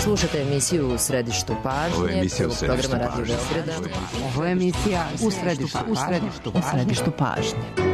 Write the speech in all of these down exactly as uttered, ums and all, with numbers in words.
Slušate emisiju U središtu pažnje. Ovo je emisija U središtu programa pažnje. Radio Beograda. Ovo je emisija U središtu pažnje. U središtu pažnje.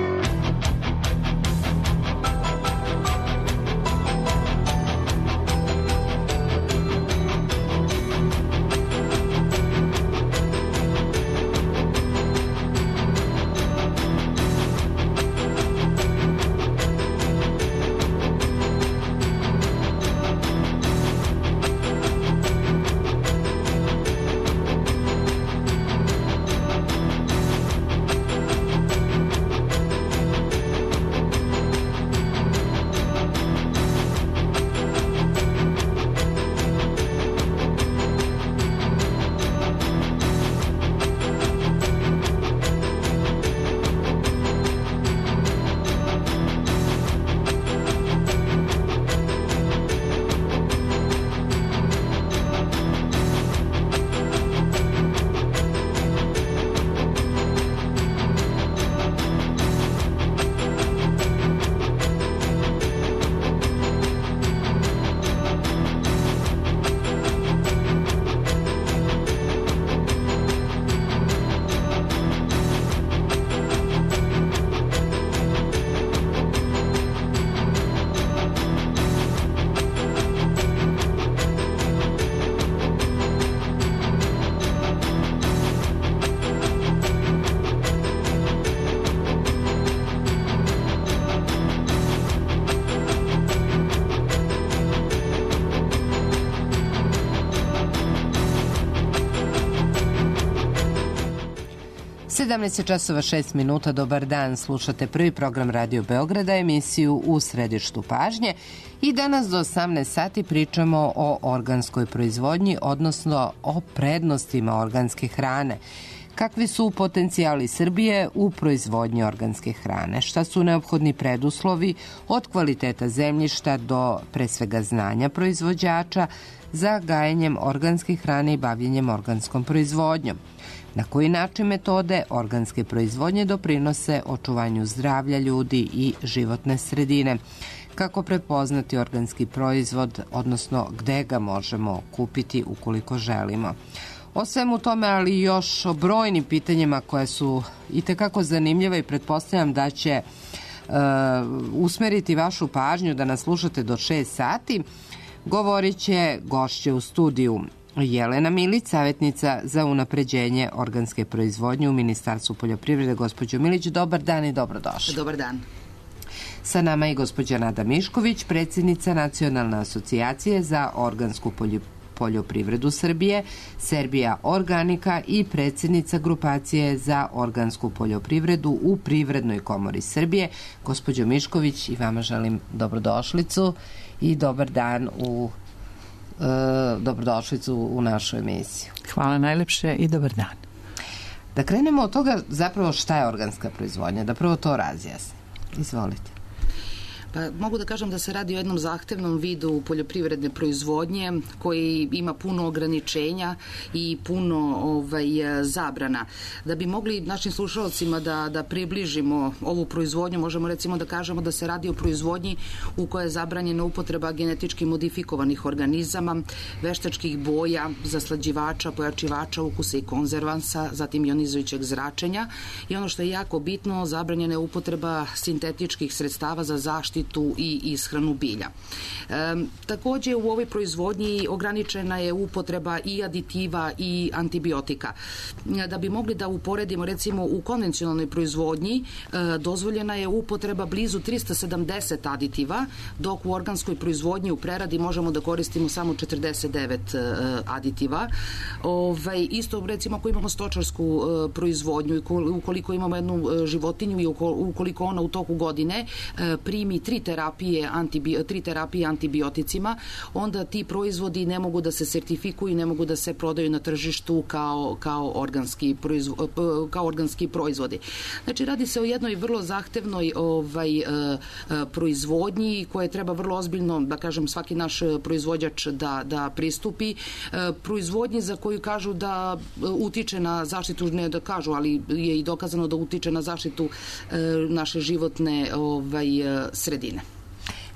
sedamnaest časova šest minuta, dobar dan, slušate prvi program Radio Beograda, emisiju U središtu pažnje i danas do osamnaest sati pričamo o organskoj proizvodnji, odnosno o prednostima organske hrane. Kakvi su potencijali Srbije u proizvodnji organske hrane? Šta su neophodni preduslovi od kvaliteta zemljišta do pre svega znanja proizvođača za gajenjem organske hrane i bavljenjem organskom proizvodnjom? Na koji način metode organske proizvodnje doprinose očuvanju zdravlja ljudi i životne sredine? Kako prepoznati organski proizvod, odnosno gde ga možemo kupiti ukoliko želimo? O svemu tome, ali još o brojnim pitanjima koje su itekako zanimljive i pretpostavljam da će uh, usmeriti vašu pažnju da nas slušate do šest sati, govorit će gošće u studiju. Jelena Milić, savjetnica za unapređenje organske proizvodnje u Ministarstvu poljoprivrede. Gospođo Milić, dobar dan i dobrodošli. Dobar dan. Sa nama je gospođa Nada Mišković, predsjednica Nacionalne asocijacije za organsku poljoprivredu Srbije, Serbia Organika i predsjednica grupacije za organsku poljoprivredu u Privrednoj komori Srbije. Gospođo Mišković, i vama želim dobrodošlicu i dobar dan u Uh, dobrodošlicu u našu emisiju. Hvala najlepše i dobar dan. Da krenemo od toga zapravo šta je organska proizvodnja, da prvo to razjasnimo. Izvolite. Pa, mogu da kažem da se radi o jednom zahtevnom vidu poljoprivredne proizvodnje koji ima puno ograničenja i puno ovaj, zabrana. Da bi mogli našim slušalcima da, da približimo ovu proizvodnju, možemo recimo da kažemo da se radi o proizvodnji u kojoj je zabranjena upotreba genetički modifikovanih organizama, veštačkih boja, zaslađivača, pojačivača ukusa i konzervansa, zatim ionizujućeg zračenja i ono što je jako bitno, zabranjena je upotreba sintetičkih sredstava za zaštitu i ishranu bilja. E, takođe u ovoj proizvodnji ograničena je upotreba i aditiva i antibiotika. Da bi mogli da uporedimo recimo u konvencionalnoj proizvodnji e, dozvoljena je upotreba blizu trista sedamdeset aditiva, dok u organskoj proizvodnji u preradi možemo da koristimo samo četrdeset devet e, aditiva. Ove, isto recimo ako imamo stočarsku e, proizvodnju i ukoliko imamo jednu e, životinju i ukoliko ona u toku godine e, primi tri terapije, antibio, tri terapije antibioticima, onda ti proizvodi ne mogu da se sertifikuju i ne mogu da se prodaju na tržištu kao, kao, organski, proizvo, kao organski proizvodi. Znači, radi se o jednoj vrlo zahtevnoj ovaj, proizvodnji koje treba vrlo ozbiljno, da kažem, svaki naš proizvođač da, da pristupi. Proizvodnji za koju kažu da utiče na zaštitu, ne da kažu, ali je i dokazano da utiče na zaštitu naše životne ovaj, sredine.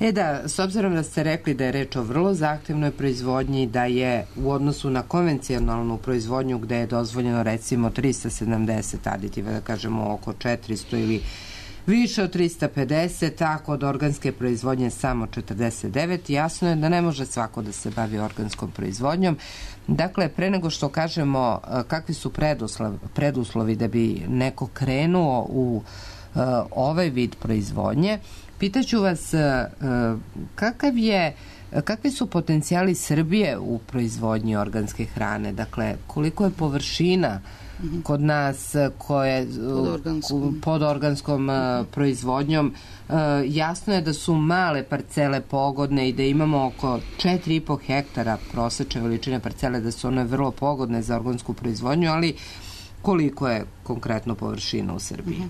E da, s obzirom da ste rekli da je reč o vrlo zahtevnoj proizvodnji, da je u odnosu na konvencionalnu proizvodnju gde je dozvoljeno recimo trista sedamdeset aditiva, da kažemo oko četiristo ili više od trista pedeset, a kod organske proizvodnje samo četrdeset devet, jasno je da ne može svako da se bavi organskom proizvodnjom. Dakle, pre nego što kažemo kakvi su preduslovi, preduslovi da bi neko krenuo u uh, ovaj vid proizvodnje, pitaću vas uh, kakav je kakvi su potencijali Srbije u proizvodnji organske hrane? Dakle, koliko je površina kod nas koje pod organskom, pod organskom uh, proizvodnjom? Uh, jasno je da su male parcele pogodne i da imamo oko četiri i po hektara prosečne veličine parcele, da su one vrlo pogodne za organsku proizvodnju, ali koliko je konkretno površina u Srbiji?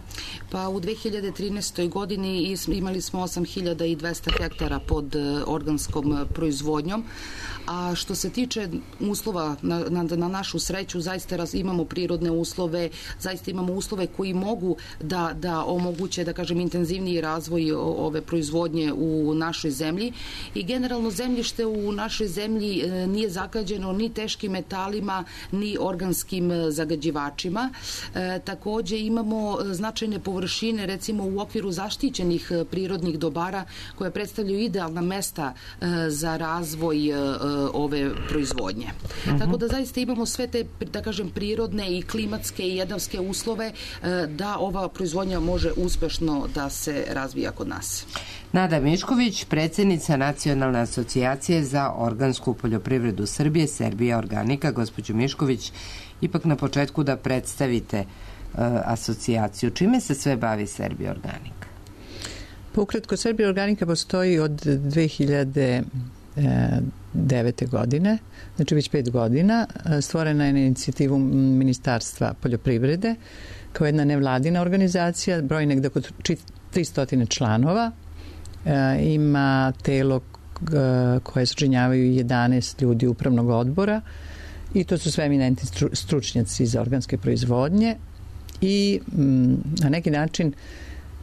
Pa u dve hiljade trinaestoj godini imali smo osam hiljada dvesta hektara pod organskom proizvodnjom, a što se tiče uslova na, na, na našu sreću, zaista raz, imamo prirodne uslove, zaista imamo uslove koji mogu da, da omoguće, da kažem, intenzivniji razvoj ove proizvodnje u našoj zemlji i generalno zemljište u našoj zemlji nije zagađeno ni teškim metalima, ni organskim zagađivačima. E, takođe imamo značajne površine, recimo u okviru zaštićenih prirodnih dobara koje predstavljaju idealna mesta e, za razvoj e, ove proizvodnje. Uh-huh. Tako da zaista imamo sve te, da kažem, prirodne i klimatske i jedavske uslove e, da ova proizvodnja može uspešno da se razvija kod nas. Nada Mišković, predsjednica Nacionalne asocijacije za organsku poljoprivredu Srbije, Serbia Organika. Gospođo Mišković, ipak na početku da predstavite uh, asocijaciju. Čime se sve bavi Serbia Organika? Pa ukratko, Serbia Organika postoji od dve hiljade devete. godine, znači već pet godina. Stvorena je na inicijativu Ministarstva poljoprivrede kao jedna nevladina organizacija, broj negde oko tristo članova. E, ima telo koje sačinjavaju jedanaest ljudi upravnog odbora i to su sve eminentni stručnjaci za organske proizvodnje i m, na neki način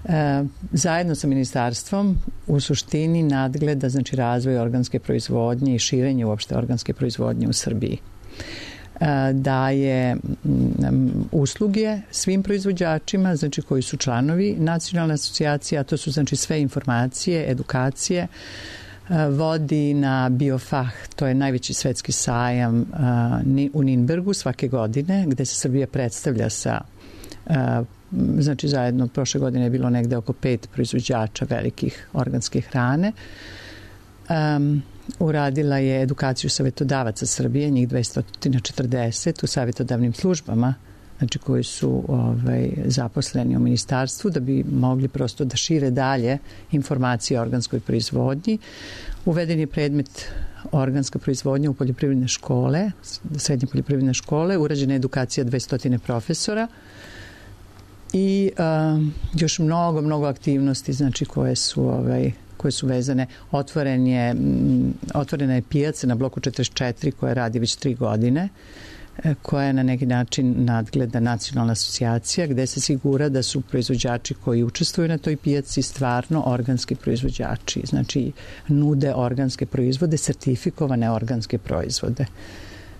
e, zajedno sa ministarstvom u suštini nadgleda, znači, razvoj organske proizvodnje i širenje uopšte organske proizvodnje u Srbiji. E, daje m, usluge svim proizvođačima, znači koji su članovi nacionalne asocijacije, a to su, znači, sve informacije, edukacije, vodi na Biofach, to je najveći svetski sajam u Ninbergu svake godine, gde se Srbija predstavlja sa, znači zajedno prošle godine je bilo negde oko pet proizvođača velikih organske hrane. Um, uradila je edukaciju savjetodavaca Srbije, njih dvesta četrdeset u savjetodavnim službama, znači koji su ovaj, zaposleni u ministarstvu da bi mogli prosto da šire dalje informacije o organskoj proizvodnji. Uveden je predmet organska proizvodnja u poljoprivredne škole, srednje poljoprivredne škole, urađena je edukacija dvesta profesora i um, još mnogo, mnogo aktivnosti, znači koje su ovaj, koje su vezane. Otvoren je, otvorena je pijaca na bloku četrdeset četiri koja radi već tri godine, koja je na neki način nadgleda nacionalna asocijacija gde se sigura da su proizvođači koji učestvuju na toj pijaci stvarno organski proizvođači, znači nude organske proizvode, sertifikovane organske proizvode.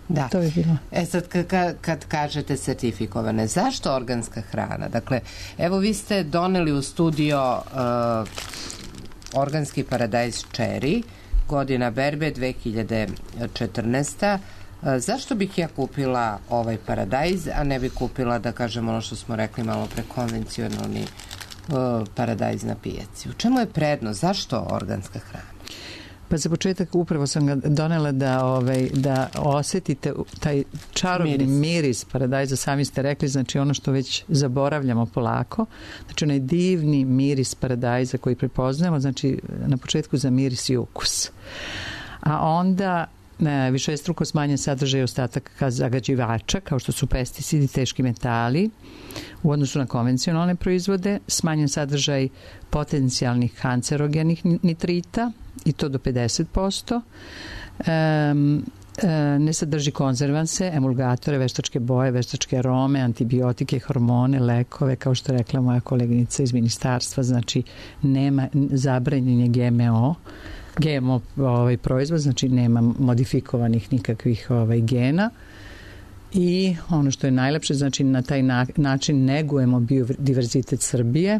Da. To je bilo. E sad kad, kad kažete sertifikovane, zašto organska hrana? Dakle, evo vi ste doneli u studio uh, organski paradajz Cherry, godina berbe dve hiljade četrnaesta. Zašto bih ja kupila ovaj paradajz, a ne bih kupila, da kažem, ono što smo rekli malo pre, konvencionalni uh, paradajz na pijaci? U čemu je prednost? Zašto organska hrana? Pa za početak upravo sam ga donela da, ovaj, da osetite taj čarobni miris. miris paradajza, sami ste rekli, znači ono što već zaboravljamo polako, znači onaj divni miris paradajza koji prepoznajemo, znači na početku za miris i ukus. A onda ne, višestruko smanjen sadržaj ostataka zagađivača, kao što su pesticidi, teški metali, u odnosu na konvencionalne proizvode, smanjen sadržaj potencijalnih kancerogenih nitrita, i to do pedeset posto. Um, ne sadrži konzervanse, emulgatore, veštačke boje, veštačke arome, antibiotike, hormone, lekove, kao što je rekla moja koleginica iz ministarstva, znači nema zabranjen je G M O, G M O ovaj, proizvod, znači nema modifikovanih nikakvih ovaj, gena. I ono što je najlepše, znači na taj na, način negujemo biodiverzitet Srbije,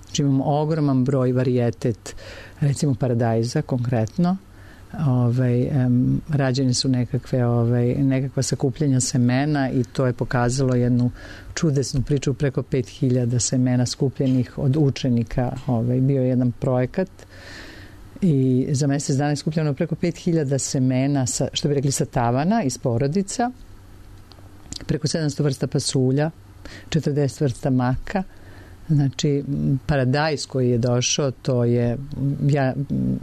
znači imamo ogroman broj varijetet, recimo paradajza konkretno, ovaj, um, rađene su nekakve, ovaj, nekakva sakupljanja semena i to je pokazalo jednu čudesnu priču, preko pet hiljada semena skupljenih od učenika, ovaj, bio je jedan projekat i za mesec dana je skupljeno preko pet hiljada semena, sa, što bi rekli sa tavana iz porodica, preko sedamsto vrsta pasulja, četrdeset vrsta maka. Znači, paradajz koji je došao, to je, ja,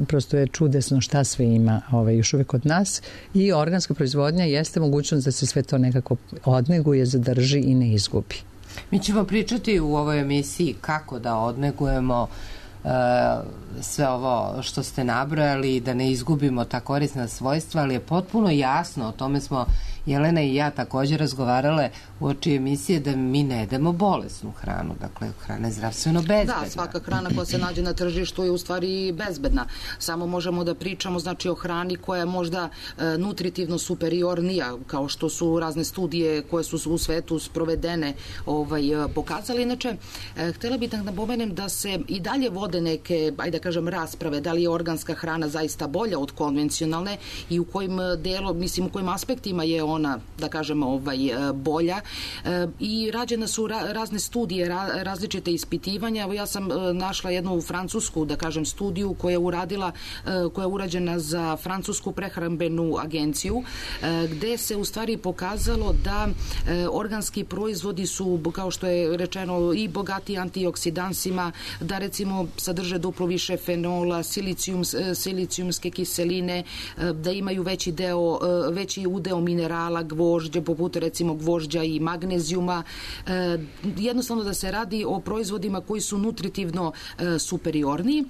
prosto je čudesno šta sve ima ovaj, još uvek kod nas i organska proizvodnja jeste mogućnost da se sve to nekako odneguje, zadrži i ne izgubi. Mi ćemo pričati u ovoj emisiji kako da odnegujemo uh, sve ovo što ste nabrojali, da ne izgubimo ta korisna svojstva, ali je potpuno jasno, o tome smo Jelena i ja također razgovarale u oči emisije, da mi ne jedemo bolesnu hranu, dakle hrana je zdravstveno bezbedna. Da, svaka hrana koja se nađe na tržištu je u stvari bezbedna. Samo možemo da pričamo znači o hrani koja je možda e, nutritivno superiornija, kao što su razne studije koje su u svetu sprovedene ovaj, pokazali. Inače, e, htjela bih da napomenem da se i dalje vode neke, ajde da kažem, rasprave, da li je organska hrana zaista bolja od konvencionalne i u kojim delu, mislim, u kojim aspektima je ona, da kažemo, ovaj, bolja. E, I rađene su ra, razne studije, ra, različite ispitivanja. Evo ja sam e, našla jednu francusku, da kažem, studiju koja je uradila, e, koja je urađena za francusku prehrambenu agenciju, e, gde se u stvari pokazalo da e, organski proizvodi su, kao što je rečeno, i bogati antioksidansima, da recimo sadrže duplo više fenola, silicijum, silicijumske kiseline, e, da imaju veći deo, e, veći udeo minerala, gvožđe, poput recimo gvožđa i magnezijuma. E, jednostavno da se radi o proizvodima koji su nutritivno e, superiorniji,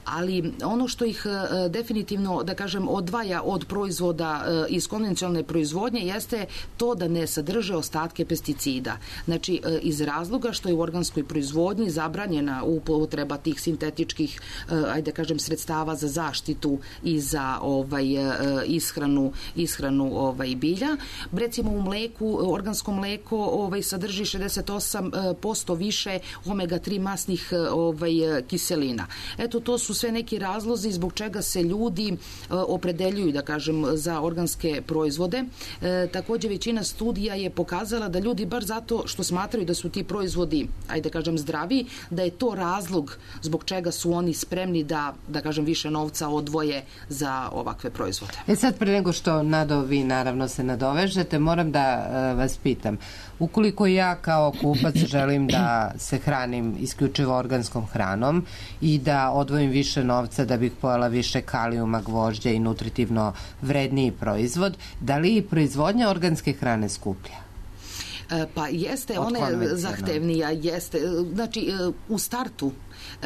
ali ono što ih e, definitivno, da kažem, odvaja od proizvoda e, iz konvencionalne proizvodnje jeste to da ne sadrže ostatke pesticida. Znači, e, iz razloga što je u organskoj proizvodnji zabranjena upotreba tih sintetičkih, e, ajde da kažem, sredstava za zaštitu i za ovaj, e, ishranu, ishranu ovaj, bilja. Recimo u mleku, organsko mleko ovaj, sadrži šezdeset osam posto više omega tri masnih ovaj, kiselina. Eto, to su sve neki razlozi zbog čega se ljudi e, opredeljuju, da kažem, za organske proizvode. E, također većina studija je pokazala da ljudi bar zato što smatraju da su ti proizvodi, ajde da kažem, zdravi, da je to razlog zbog čega su oni spremni da, da kažem, više novca odvoje za ovakve proizvode. E sad, pre nego što Nado vi naravno se nadovežete, moram da e, vas pitam, ukoliko ja kao kupac želim da se hranim isključivo organskom hranom i da odvojim više novca da bih pojela više kalijuma, gvožđa i nutritivno vredniji proizvod, da li proizvodnja organske hrane skuplja? Pa jeste, ona je zahtevnija, jeste. Znači, u startu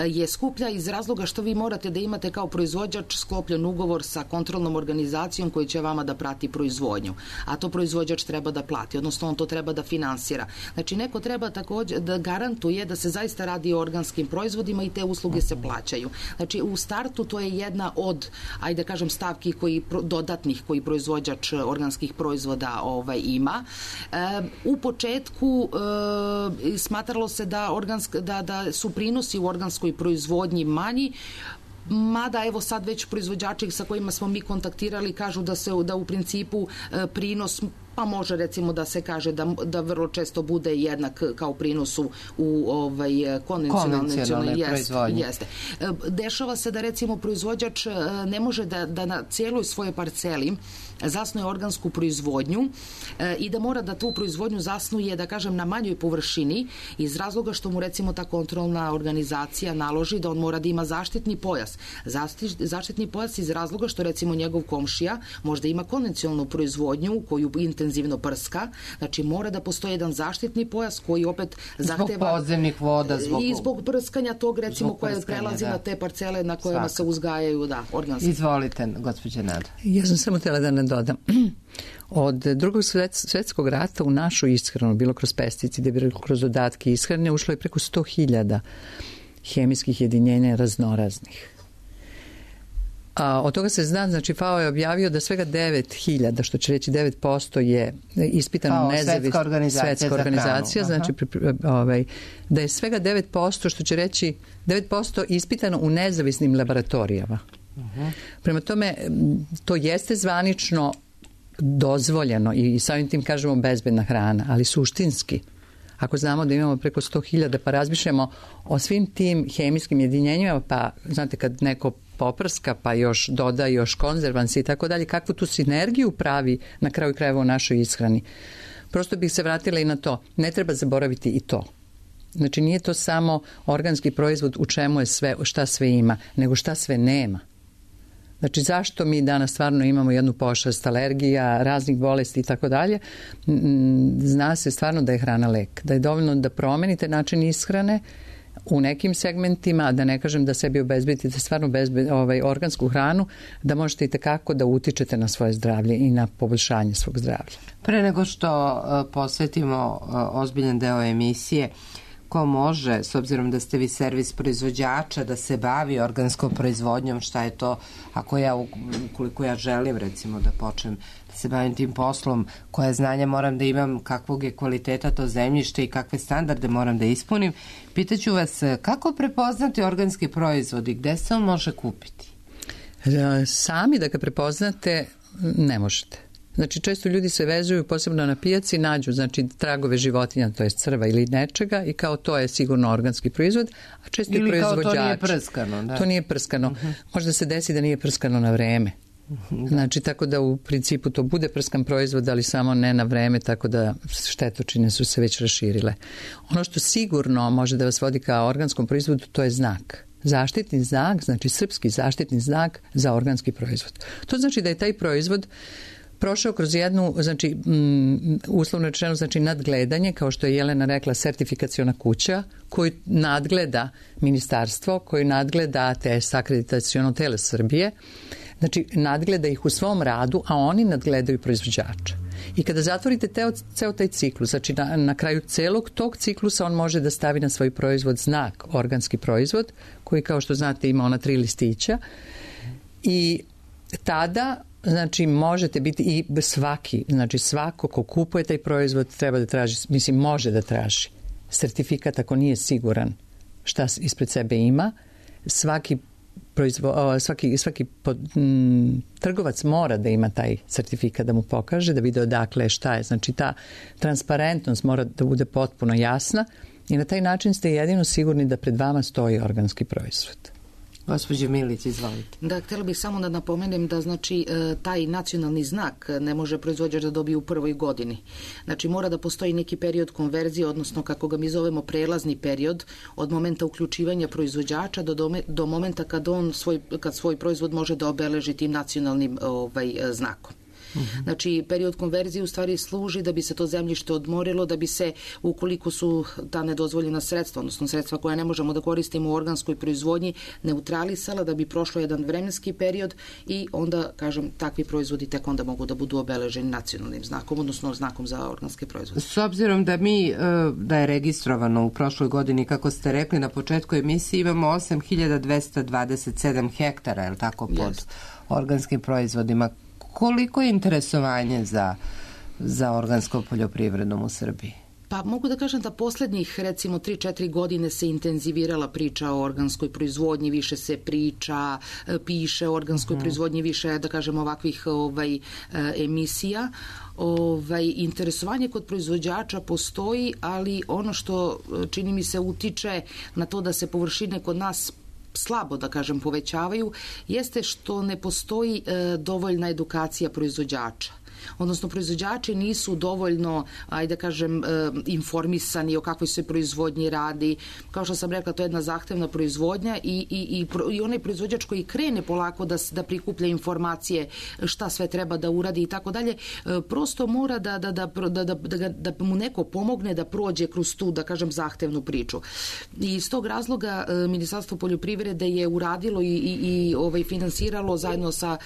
je skuplja iz razloga što vi morate da imate kao proizvođač sklopljen ugovor sa kontrolnom organizacijom koji će vama da prati proizvodnju, a to proizvođač treba da plati, odnosno on to treba da finansira. Znači, neko treba također da garantuje da se zaista radi o organskim proizvodima i te usluge se plaćaju. Znači, u startu to je jedna od, ajde da kažem, stavki koji, dodatnih koji proizvođač organskih proizvoda ovaj, ima. E, u početku e, smatralo se da, organsk, da, da su prinosi u organskoj proizvodnji manji, mada evo sad već proizvođači sa kojima smo mi kontaktirali kažu da se da u principu e, prinos pa može recimo da se kaže da, da vrlo često bude jednak kao prinosu u ovaj, konvencionalnoj proizvodnji. Jeste. Dešava se da recimo proizvođač ne može da, da na cijeloj svojoj parceli zasnuje organsku proizvodnju e, i da mora da tu proizvodnju zasnuje, da kažem, na manjoj površini iz razloga što mu recimo ta kontrolna organizacija naloži da on mora da ima zaštitni pojas. Zaštit, zaštitni pojas iz razloga što recimo njegov komšija možda ima konvencionalnu proizvodnju koju intenzivno intenzivno prska, znači mora da postoji jedan zaštitni pojas koji opet zahteva... Zbog podzemnih voda, zbog... I zbog prskanja tog, recimo, koje prelazi da. na te parcele na kojima Svaka. se uzgajaju, da, organski. Izvolite, gospođa Nada. Ja sam samo htjela da ne dodam. Od drugog svjetskog rata u našu ishranu, bilo kroz pesticide, bilo kroz dodatke ishrane, ušlo je preko sto hiljada hemijskih jedinjenja raznoraznih. A od toga se zna, znači F A O je objavio da svega devet hiljada, što će reći devet posto je ispitano nezavisno. Svetska organizacija, svetska organizacija znači ovaj, da je svega devet posto, što će reći devet posto ispitano u nezavisnim laboratorijama. Uh-huh. Prema tome, to jeste zvanično dozvoljeno i samim tim kažemo bezbedna hrana, ali suštinski, ako znamo da imamo preko sto hiljada, pa razmišljamo o svim tim hemijskim jedinjenjima, pa znate kad neko poprska, pa još doda još konzervansi i tako dalje, kakvu tu sinergiju pravi na kraju krajeva u našoj ishrani. Prosto bih se vratila i na to. Ne treba zaboraviti i to. Znači nije to samo organski proizvod u čemu je sve, šta sve ima, nego šta sve nema. Znači zašto mi danas stvarno imamo jednu pošast alergija, raznih bolesti i tako dalje, zna se stvarno da je hrana lek, da je dovoljno da promenite način ishrane u nekim segmentima, a da ne kažem da sebi obezbedite stvarno bezbed, ovaj, organsku hranu, da možete i tekako da utičete na svoje zdravlje i na poboljšanje svog zdravlja. Pre nego što uh, posvetimo uh, ozbiljan deo emisije, ko može, s obzirom da ste vi servis proizvođača, da se bavi organskom proizvodnjom, šta je to, ako ja, ukoliko ja želim recimo da počnem da se bavim tim poslom, koje znanja moram da imam, kakvog je kvaliteta to zemljište i kakve standarde moram da ispunim, pitaću vas kako prepoznati organski proizvod i gde se on može kupiti? Sami da ga prepoznate ne možete. Znači, često ljudi se vezuju, posebno na pijaci, nađu, znači, tragove životinja, to je crva ili nečega i kao to je sigurno organski proizvod, a često ili i proizvođač. Ili kao to nije prskano. Da. To nije prskano. Uh-huh. Možda se desi da nije prskano na vreme. Uh-huh. Znači, tako da u principu to bude prskan proizvod, ali samo ne na vreme, tako da štetočine su se već raširile. Ono što sigurno može da vas vodi kao organskom proizvodu, to je znak. Zaštitni znak, znači srpski zaštitni znak za organski proizvod. To znači da je taj proizvod prošao kroz jednu, znači, um, uslovno rečeno, znači nadgledanje, kao što je Jelena rekla, sertifikaciona kuća, koju nadgleda ministarstvo, koju nadgleda T S akreditaciono telo Srbije, znači nadgleda ih u svom radu, a oni nadgledaju proizvođača. I kada zatvorite teo, ceo taj ciklus, znači na, na kraju celog tog ciklusa on može da stavi na svoj proizvod znak organski proizvod, koji kao što znate ima ona tri listića i tada znači možete biti i svaki, znači svako ko kupuje taj proizvod treba da traži, mislim može da traži sertifikat ako nije siguran šta ispred sebe ima. Svaki proizvo, svaki, svaki pod, m, trgovac mora da ima taj sertifikat da mu pokaže, da vide odakle šta je. Znači ta transparentnost mora da bude potpuno jasna i na taj način ste jedino sigurni da pred vama stoji organski proizvod. Gospođo Milić, izvolite. Da, htjela bih samo da napomenem da znači taj nacionalni znak ne može proizvođač da dobije u prvoj godini. Znači mora da postoji neki period konverzije, odnosno kako ga mi zovemo prelazni period od momenta uključivanja proizvođača do, dome, do momenta kad on svoj, kad svoj proizvod može da obeleži tim nacionalnim ovaj, znakom. Uh-huh. Znači, period konverzije u stvari služi da bi se to zemljište odmorilo, da bi se, ukoliko su ta nedozvoljena sredstva, odnosno sredstva koja ne možemo da koristimo u organskoj proizvodnji, neutralisala, da bi prošlo jedan vremenski period i onda, kažem, takvi proizvodi tek onda mogu da budu obeleženi nacionalnim znakom, odnosno znakom za organske proizvode. S obzirom da mi, da je registrovano u prošloj godini, kako ste rekli na početku emisije, imamo osam hiljada dvesta dvadeset sedam hektara, je li tako, pod yes. organskim proizvodima. Koliko je interesovanje za, za organskom poljoprivredom u Srbiji? Pa mogu da kažem da poslednjih recimo tri četiri godine se intenzivirala priča o organskoj proizvodnji, više se priča, piše o organskoj uh-huh. proizvodnji, više da kažem ovakvih ovaj, emisija. Ovaj, interesovanje kod proizvođača postoji, ali ono što čini mi se utiče na to da se površine kod nas slabo, da kažem, povećavaju, jeste što ne postoji e, dovoljna edukacija proizvođača. odnosno proizvođači nisu dovoljno, ajde da kažem, informisani o kakvoj se proizvodnji radi. Kao što sam rekla, to je jedna zahtevna proizvodnja i, i, i, i onaj proizvođač koji krene polako da, da prikuplja informacije šta sve treba da uradi i tako dalje, prosto mora da, da, da, da, da, da, da mu neko pomogne da prođe kroz tu, da kažem, zahtevnu priču. I iz tog razloga Ministarstvo poljoprivrede je uradilo i, i, i ovaj, finansiralo zajedno sa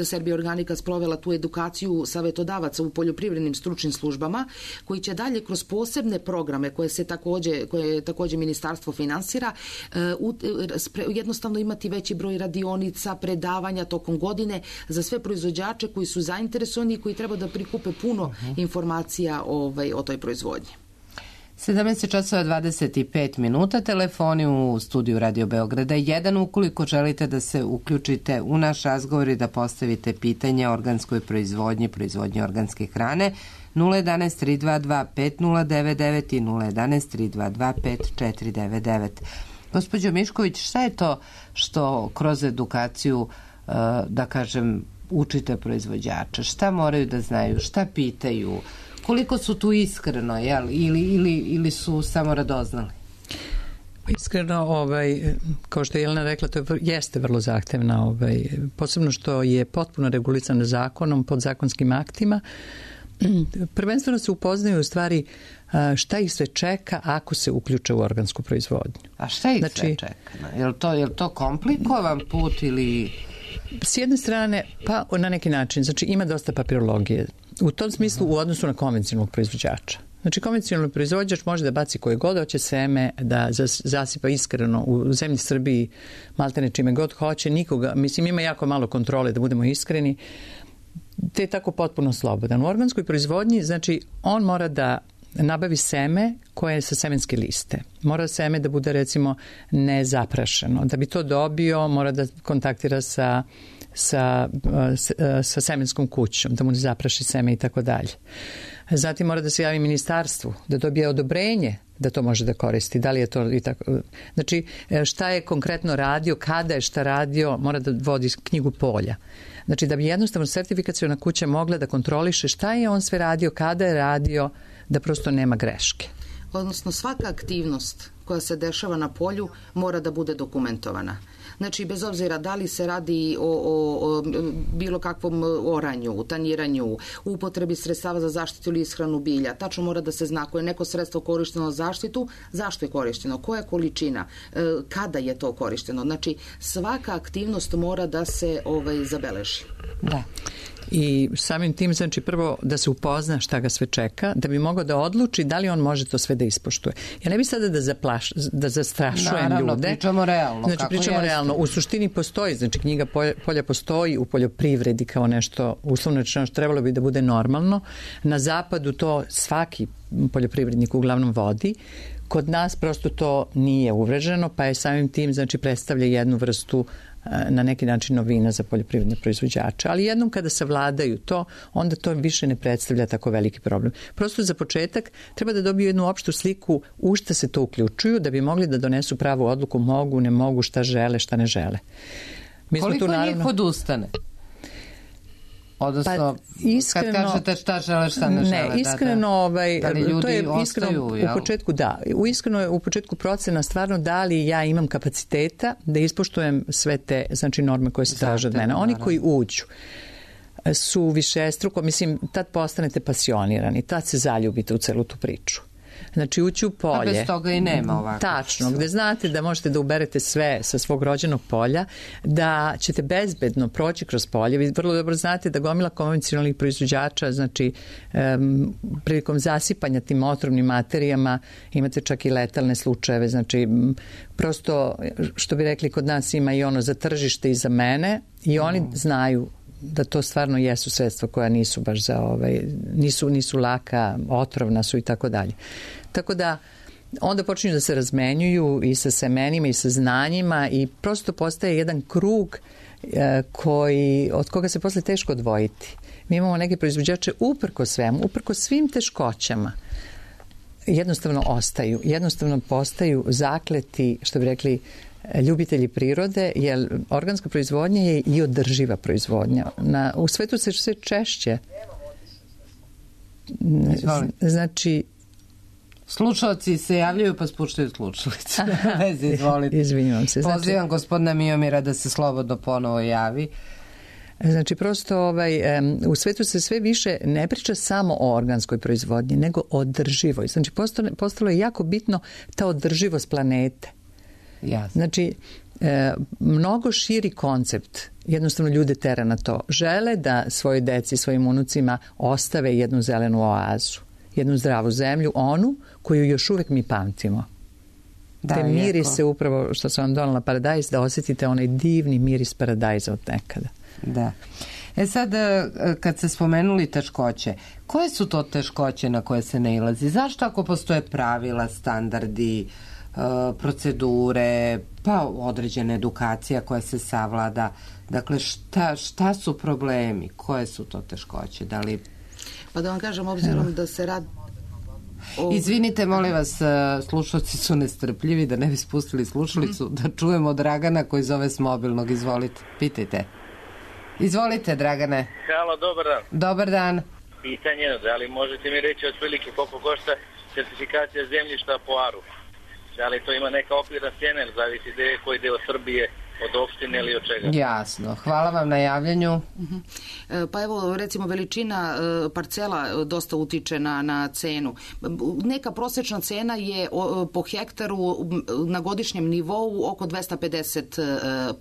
Serbia Organika sprovela tu edukaciju savjetodavaca u poljoprivrednim stručnim službama, koji će dalje kroz posebne programe koje se takođe, koje takođe ministarstvo finansira, jednostavno imati veći broj radionica, predavanja tokom godine za sve proizvođače koji su zainteresovani i koji treba da prikupe puno uh-huh. informacija ovaj, o toj proizvodnji. sedamnaest časova dvadeset pet minuta, telefoni u studiju Radio Beograda jedan, ukoliko želite da se uključite u naš razgovor i da postavite pitanje o organskoj proizvodnji, proizvodnji organske hrane, nula jedanaest tri dva dva pet nula devet devet i nula jedanaest tri dva dva pet četiri devet devet. Gospođo Mišković, šta je to što kroz edukaciju, da kažem, učite proizvođača? Šta moraju da znaju? Šta pitaju? Koliko su tu iskreno, jel? Ili, ili, ili su samo radoznali? Iskreno, ovaj, kao što je Jelena rekla, to je, jeste vrlo zahtevna, ovaj, posebno što je potpuno regulisano zakonom, podzakonskim aktima. Prvenstveno se upoznaju u stvari šta ih sve čeka ako se uključe u organsku proizvodnju. A šta ih znači, sve čeka? Je li to, je li to komplikovan put ili... S jedne strane, pa na neki način, znači ima dosta papirologije. U tom smislu u odnosu na konvencionalnog proizvođača. Znači, konvencionalni proizvođač može da baci koje god hoće seme, da zasipa iskreno u zemlji Srbiji, maltene čime god hoće, nikoga, mislim, ima jako malo kontrole, da budemo iskreni, te je tako potpuno slobodan. U organskoj proizvodnji, znači, on mora da nabavi seme koje je sa semenske liste. Mora seme da bude, recimo, nezaprašeno. Da bi to dobio, mora da kontaktira sa sa, sa, sa semenskom kućom, da mu ne zapraši seme i tako dalje. Zatim mora da se javi ministarstvu, da dobije odobrenje da to može da koristi. Da li je to i tako. Znači, šta je konkretno radio, kada je šta radio, mora da vodi knjigu polja. Znači, da bi jednostavno sertifikaciona kuća mogla da kontroliše šta je on sve radio, kada je radio, da prosto nema greške. Odnosno, svaka aktivnost koja se dešava na polju mora da bude dokumentovana. Znači, bez obzira da li se radi o, o, o bilo kakvom oranju, tanjiranju, upotrebi sredstava za zaštitu ili ishranu bilja, tačno mora da se zna ako je neko sredstvo korišteno za zaštitu, zašto je korišteno, koja količina, kada je to korišteno. Znači, svaka aktivnost mora da se ovaj, zabeleži. Da. I samim tim, znači, prvo da se upozna šta ga sve čeka, da bi mogao da odluči da li on može to sve da ispoštuje. Ja ne bi sada da, zaplaš, da zastrašujem Naravno, ljude. pričamo realno. Znači, kako pričamo jeste. realno. U suštini postoji, znači, knjiga polja, polja postoji u poljoprivredi kao nešto, uslovno rečeno, što trebalo bi da bude normalno. Na zapadu to svaki poljoprivrednik uglavnom vodi. Kod nas prosto to nije uvreženo, pa je samim tim, znači, predstavlja jednu vrstu na neki način novina za poljoprivredne proizvođače. Ali jednom kada savladaju to, onda to više ne predstavlja tako veliki problem. Prosto za početak treba da dobiju jednu opštu sliku u šta se to uključuju, da bi mogli da donesu pravu odluku, mogu, ne mogu, šta žele, šta ne žele. Mi Koliko tu, naravno, njih odustane? Odnosno, pa, iskreno, kad kažete šta žele, šta ne žele. Ne, iskreno, da, da. ovaj, da li ljudi to je iskreno ostaju, u jel? početku, da. U iskreno je u početku procena stvarno da li ja imam kapaciteta da ispoštujem sve te, znači, norme koje se traže od mene. Oni koji uđu su višestruko, mislim, tad postanete pasionirani, tad se zaljubite u celu tu priču. Znači, ući u polje. A bez toga i nema ovako. Tačno, gde znate da možete da uberete sve sa svog rođenog polja, da ćete bezbedno proći kroz polje. Vi vrlo dobro znate da gomila konvencionalnih proizvođača, znači, um, prilikom zasipanja tim otrovnim materijama imate čak i letalne slučajeve. Znači, prosto, što bi rekli, kod nas ima i ono za tržište i za mene i oni mm. znaju da to stvarno jesu sredstva koja nisu baš za ovaj, nisu, nisu laka, otrovna su i tako dalje. Tako da onda počinju da se razmenjuju i sa semenima i sa znanjima i prosto postaje jedan krug e, koji, od koga se posle teško odvojiti. Mi imamo neke proizvođače uprko svemu, uprko svim teškoćama jednostavno ostaju, jednostavno postaju zakleti, što bi rekli, ljubitelji prirode, jer organska proizvodnja je i održiva proizvodnja. Na, u svetu se sve češće Znači, slušalci se javljaju pa spuštaju slušalicu. Vezi, izvolite. Izvinjavam se. Znači, pozivam gospodina Miomira da se slobodno ponovo javi. Znači, prosto ovaj, u svetu se sve više ne priča samo o organskoj proizvodnji, nego o održivoj. Znači, postalo, postalo je jako bitno ta održivost planete. Jasno. Znači, e, mnogo širi koncept jednostavno ljude tera na to. Žele da svojoj deci, svojim unucima ostave jednu zelenu oazu, jednu zdravu zemlju, onu koju još uvek mi pamtimo. Da, te mirise upravo što sam vam donala paradajz, da osjetite onaj divni miris paradajza od nekada. Da. E sad, kad se spomenuli teškoće, koje su to teškoće na koje se nailazi? Zašto ako postoje pravila, standardi, procedure, pa određena edukacija koja se savlada, dakle šta, šta su problemi, koje su to teškoće, da li... Pa da vam kažem, obzirom da se radi... O... Izvinite, molim vas, slušalci su nestrpljivi, da ne bi spustili slušalicu, mm. da čujemo Dragana koji zove s mobilnog, izvolite, pitajte. Izvolite, Dragane. Halo, dobar dan. Dobar dan. Pitanje, da li možete mi reći otprilike koliko košta certifikacija zemljišta po aru? Da li to ima neka okvirna cijena ili zavisi gde je koji deo Srbije, od opštine ili od čega? Jasno. Hvala vam na javljanju. Uh-huh. Pa evo, recimo, veličina parcela dosta utiče na, na cenu. Neka prosječna cena je po hektaru na godišnjem nivou oko dvesta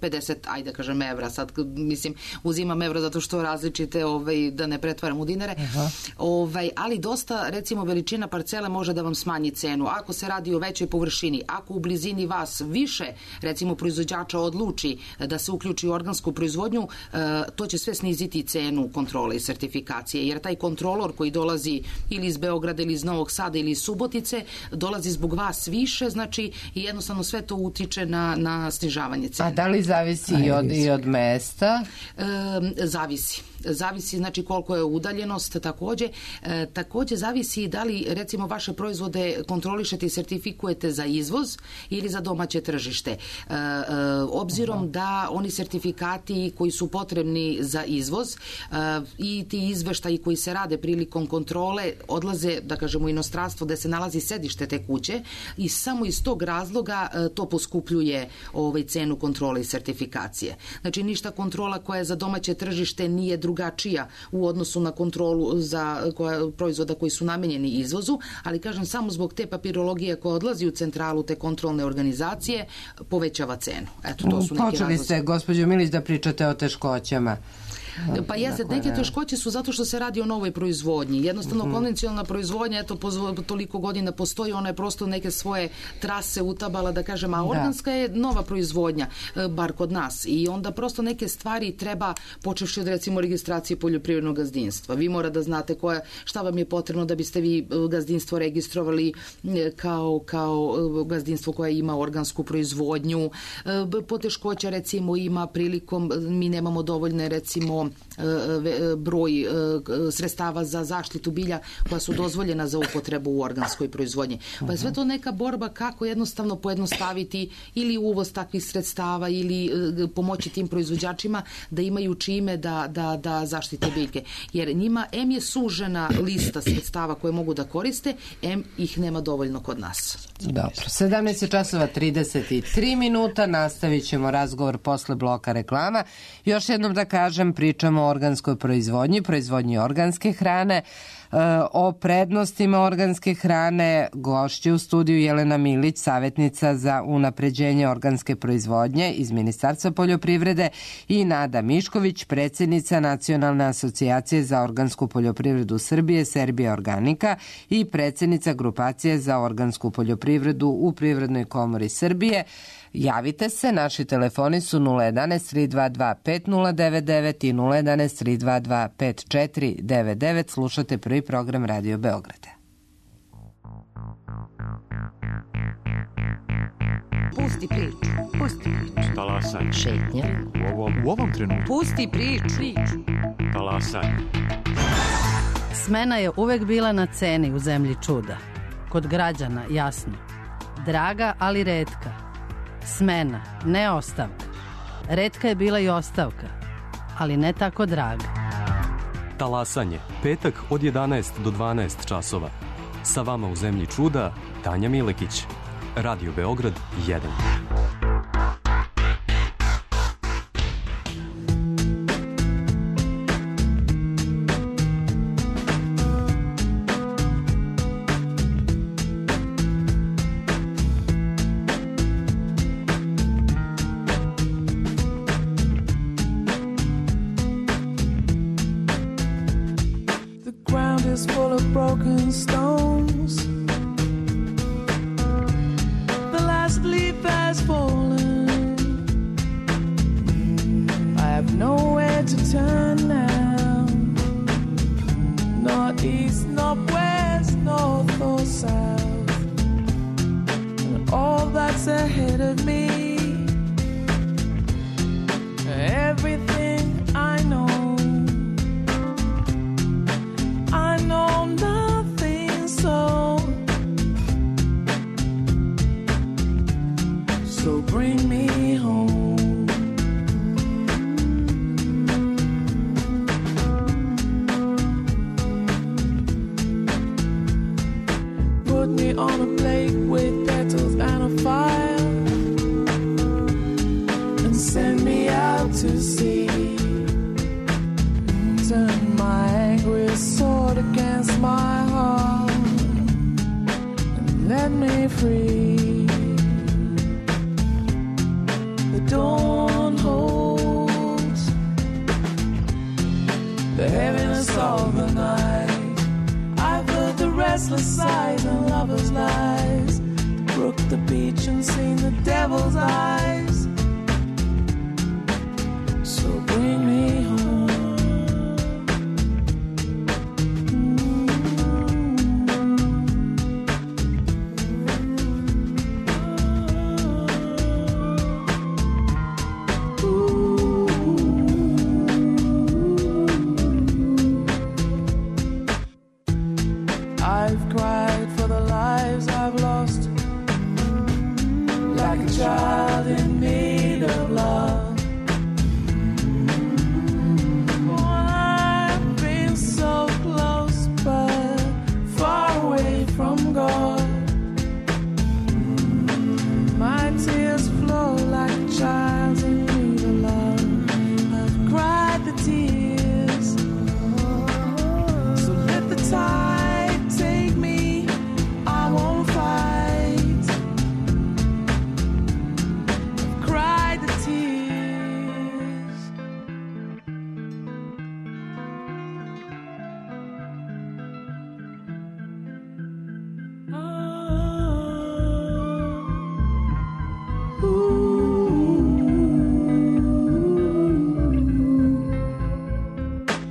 pedeset, ajde kažem, evra. Sad, mislim, uzimam evra zato što različite, ovaj, da ne pretvaram u dinare. Uh-huh. Ovaj, ali dosta, recimo, veličina parcele može da vam smanji cenu. Ako se radi o većoj površini, ako u blizini vas više, recimo, proizvođača odluči da se uključi u organsku proizvodnju, to će sve sniziti cenu kontrole i sertifikacije, jer taj kontrolor koji dolazi ili iz Beograda ili iz Novog Sada ili iz Subotice, dolazi zbog vas više, znači i jednostavno sve to utiče na, na snižavanje cene. A da li zavisi i od, i od mesta? E, zavisi. Zavisi, znači, koliko je udaljenost takođe. E, takođe zavisi da li, recimo, vaše proizvode kontrolišete i sertifikujete za izvoz ili za domaće tržište. E, e, obzirom da oni sertifikati koji su potrebni za izvoz e, i ti izveštaji koji se rade prilikom kontrole odlaze, da kažemo, u inostranstvo gde se nalazi sedište te kuće i samo iz tog razloga e, to poskupljuje ovaj, cenu kontrole i sertifikacije. Znači, ništa kontrola koja je za domaće tržište nije drugačija u odnosu na kontrolu za koja, proizvoda koji su namenjeni izvozu, ali kažem, samo zbog te papirologije koja odlazi u centralu te kontrolne organizacije povećava cenu. Eto, to su neki Počeli razlozi. ste, gospođo Milić, da pričate o teškoćama. Pa jeste, neke teškoće su zato što se radi o novoj proizvodnji. Jednostavno, mm-hmm. konvencionalna proizvodnja, eto, toliko godina postoji, ona je prosto neke svoje trase utabala, da kažem, a organska da. je nova proizvodnja, bar kod nas. I onda prosto neke stvari treba, počevši od, recimo, registracije poljoprivrednog gazdinstva. Vi mora da znate koja, šta vam je potrebno da biste vi gazdinstvo registrovali kao, kao gazdinstvo koje ima organsku proizvodnju. Poteškoća, recimo, ima prilikom, mi nemamo dovoljne, recimo, broj sredstava za zaštitu bilja koja su dozvoljena za upotrebu u organskoj proizvodnji. Pa je sve to neka borba kako jednostavno pojednostaviti ili uvoz takvih sredstava ili pomoći tim proizvođačima da imaju čime da, da, da zaštite biljke. Jer njima em je sužena lista sredstava koje mogu da koriste, em ih nema dovoljno kod nas. Dobro. sedamnaest časova trideset tri minuta, nastavit ćemo razgovor posle bloka reklama. Još jednom da kažem, pričamo o organskoj proizvodnji, proizvodnji organske hrane, o prednostima organske hrane. Gošće u studiju Jelena Milić, savjetnica za unapređenje organske proizvodnje iz Ministarstva poljoprivrede, i Nada Mišković, predsjednica Nacionalne asocijacije za organsku poljoprivredu Srbije, Serbia Organika, i predsjednica grupacije za organsku poljoprivredu u Privrednoj komori Srbije. Javite se, naši telefoni su nula jedanaest tri dva dva pet nula devet devet i nula jedanaest tri dva dva pet četiri devet devet. Slušate prvi program Radio Beograda. Pusti priču, pusti priču. Talasaj. Šetnja. U ovom, u ovom trenutku. Pusti priču. Talasaj. Smena je uvek bila na ceni u zemlji čuda. Kod građana, jasno. Draga, ali retka. Smena, ne ostavka. Retka je bila i ostavka, ali ne tako draga. Talasanje, petak od jedanaest do dvanaest časova. Sa vama u Zemlji čuda, Tanja Milekić. Radio Beograd jedan.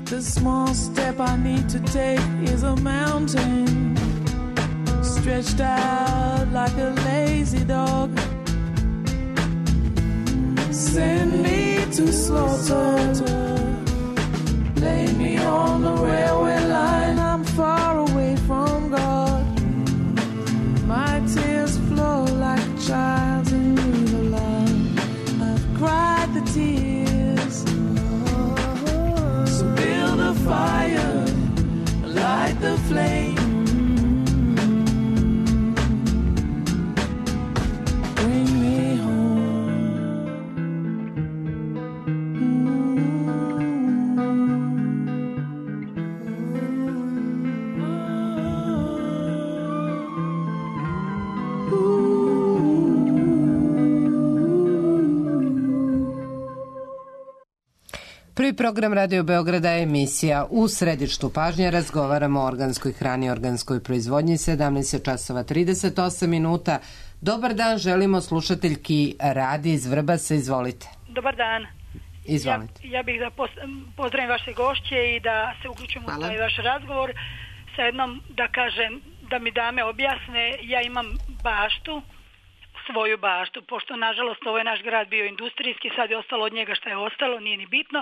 The small step I need to take is a mountain, stretched out like a lazy dog. Send me to slaughter, lay me on the railway line. I'm far away from God. My tears flow like a child in need of love. I've cried the tears. So build a fire, light the flame. Bring me home. Prvi program Radio Beograda je emisija U središtu pažnje. Razgovaramo o organskoj hrani i organskoj proizvodnji. Sedamnaest časova trideset osam minuta. Dobar dan, želimo slušateljki Radi iz Vrbasa. Izvolite. Dobar dan. Izvolite. Ja, ja bih da pozdravim vaše gošće i da se uključim u taj vaš razgovor sa jednom, da kažem, da mi dame objasne. Ja imam baštu svoju baštu, pošto nažalost ovo je naš grad bio industrijski, sad je ostalo od njega šta je ostalo, nije ni bitno,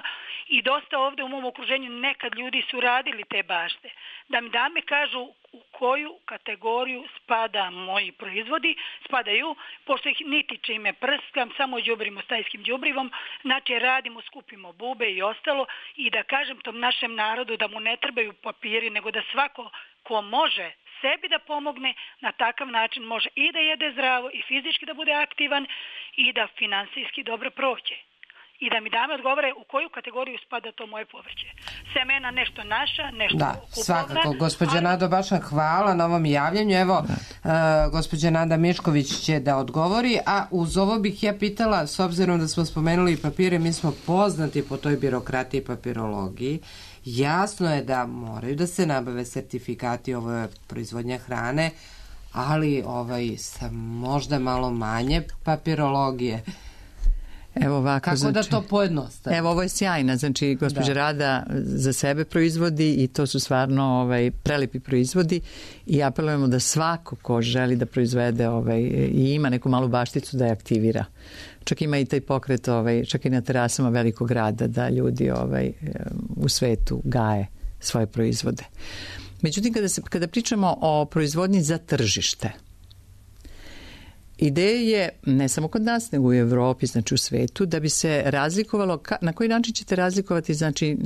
i dosta ovde u mom okruženju nekad ljudi su radili te bašte. Da mi dame kažu u koju kategoriju spada moji proizvodi, spadaju, pošto ih niti čime prskam, samo đubrimo stajskim đubrivom, znači radimo, skupimo bube i ostalo, i da kažem tom našem narodu da mu ne trebaju papiri, nego da svako ko može sebi da pomogne, na takav način može i da jede zdravo i fizički da bude aktivan i da finansijski dobro prođe. I da mi dame odgovore u koju kategoriju spada to moje povrće. Semena nešto naša, nešto da, kupovna. Svakako, gospođa ali... Nado, baš vam hvala na ovom javljanju. Evo, uh, gospođa Nada Mišković će da odgovori, a uz ovo bih ja pitala, s obzirom da smo spomenuli papire, mi smo poznati po toj birokratiji i papirologiji. Jasno je da moraju da se nabave sertifikati, ovo je proizvodnja hrane, ali ovaj, sa možda malo manje papirologije. Evo ovako, kako znači, da to pojednostavi? Evo, ovo je sjajna, znači gospođa da. Rada za sebe proizvodi i to su stvarno ovaj, prelepi proizvodi i apelujemo da svako ko želi da proizvede ovaj, i ima neku malu bašticu da je aktivira. Čak ima i taj pokret, ovaj, čak i na terasama velikog grada da ljudi ovaj, u svetu gaje svoje proizvode. Međutim, kada, se, kada pričamo o proizvodnji za tržište, ideja je, ne samo kod nas, nego u Evropi, znači u svetu, da bi se razlikovalo, na koji način ćete razlikovati znači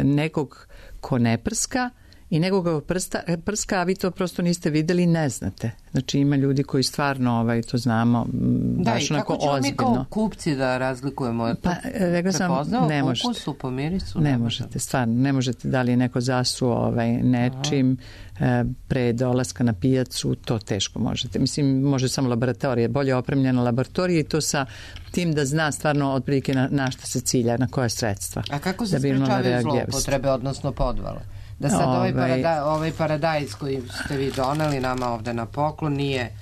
nekog ko ne prska i nekoga prsta, prska, a vi to prosto niste videli i ne znate. Znači ima ljudi koji stvarno ovaj, to znamo da, baš onako ozbiljno. Da, i kako ćemo mi kao kupci da razlikujemo? Pa, rekla sam, ne možete. Ukusu, po mirisu? Ne, ne možete, možete, stvarno. Ne možete da li je neko zasuo ovaj, nečim e, pre dolaska na pijacu, to teško možete. Mislim, može samo laboratorija, bolje opremljena laboratorija i to sa tim da zna stvarno otprilike na, na šta se cilja, na koje sredstva. A kako se da sprečavaju zloupotrebe, odnosno podvale? Da sad ovaj, ovaj, parada, ovaj paradajz koji ste vi doneli nama ovde na poklon nije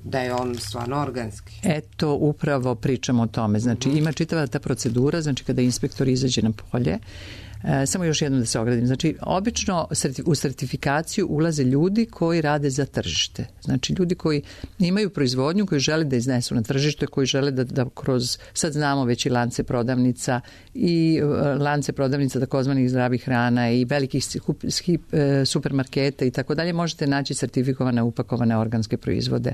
da je on stvarno organski. Eto, upravo pričamo o tome. Znači, ima čitava ta procedura, znači kada inspektor izađe na polje, E, samo još jednom da se ogradim. Znači, obično u sertifikaciju ulaze ljudi koji rade za tržište. Znači, ljudi koji imaju proizvodnju, koji žele da iznesu na tržište, koji žele da, da kroz, sad znamo već i lance prodavnica i lance prodavnica takozvanih zdravih hrana i velikih supermarketa i tako dalje, možete naći sertifikovane, upakovane organske proizvode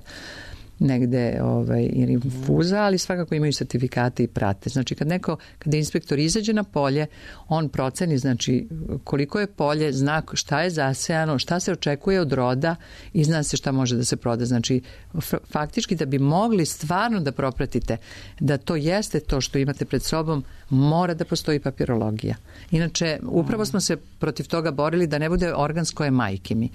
negde ovaj, ili infuza, ali svakako imaju sertifikate i prate. Znači kad neko, kada inspektor izađe na polje, on proceni znači koliko je polje, zna šta je zasejano, šta se očekuje od roda i zna se šta može da se proda. Znači faktički da bi mogli stvarno da propratite da to jeste to što imate pred sobom, mora da postoji papirologija. Inače, upravo smo se protiv toga borili da ne bude organsko je majke mi.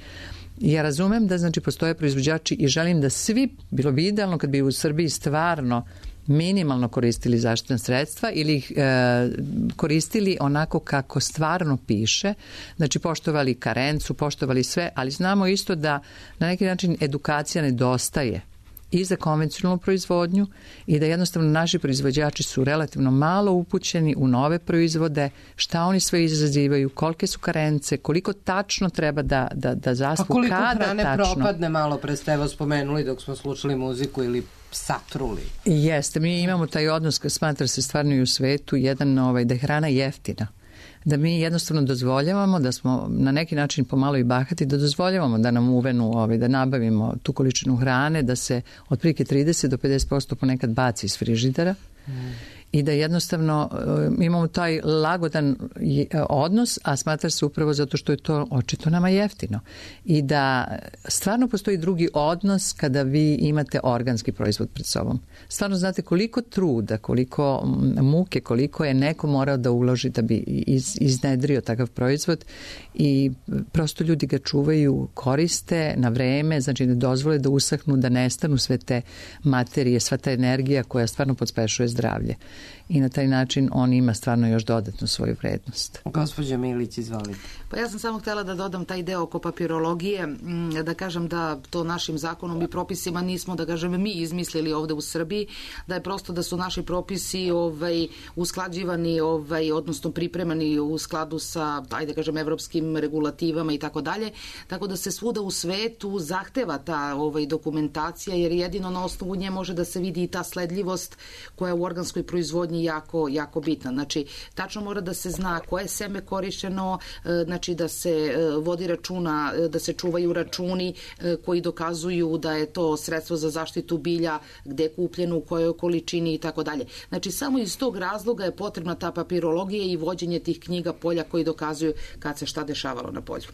Ja razumem da znači postoje proizvođači i želim da svi, bilo bi idealno kad bi u Srbiji stvarno minimalno koristili zaštitna sredstva ili ih e, koristili onako kako stvarno piše, znači poštovali karencu, poštovali sve, ali znamo isto da na neki način edukacija nedostaje i za konvencionalnu proizvodnju i da jednostavno naši proizvođači su relativno malo upućeni u nove proizvode, šta oni sve izazivaju, kolike su karence, koliko tačno treba da, da, da zaspu, pa koliko kada hrane tačno. Propadne, malo pre ste evo spomenuli dok smo slušali muziku ili satruli. Jeste, mi imamo taj odnos, smatra se stvarno i u svetu, jedan ovaj, da je hrana jeftina. Da mi jednostavno dozvoljavamo da smo na neki način pomalo i bahati, da dozvoljavamo da nam uvenu, ovaj, da nabavimo tu količinu hrane, da se otprilike trideset do pedeset posto ponekad baci iz frižidera mm. i da jednostavno imamo taj lagodan odnos, a smatra se upravo zato što je to očito nama jeftino. I da stvarno postoji drugi odnos kada vi imate organski proizvod pred sobom. Stvarno znate koliko truda, koliko muke, koliko je neko morao da uloži da bi iz, iznedrio takav proizvod i prosto ljudi ga čuvaju, koriste na vreme, znači ne dozvole da usahnu, da nestanu sve te materije, sva ta energija koja stvarno podspešuje zdravlje. i na taj način on ima stvarno još dodatnu svoju vrednost. Gospođo Milić, izvolite. Pa ja sam samo htjela da dodam taj deo oko papirologije, da kažem da to našim zakonom i propisima nismo, da kažem, mi izmislili ovde u Srbiji, da je prosto da su naši propisi ovaj, usklađivani, ovaj, odnosno pripremani u skladu sa, ajde kažem, evropskim regulativama i tako dalje, tako da se svuda u svetu zahteva ta ovaj, dokumentacija, jer jedino na osnovu nje može da se vidi i ta sledljivost koja je u organskoj proizvodnji jako, jako bitna. Znači, tačno mora da se zna koje seme korišćeno, znači da se vodi računa, da se čuvaju računi koji dokazuju da je to sredstvo za zaštitu bilja, gde je kupljeno, u kojoj količini i tako dalje. Znači, samo iz tog razloga je potrebna ta papirologija i vođenje tih knjiga polja koji dokazuju kad se šta dešavalo na polju.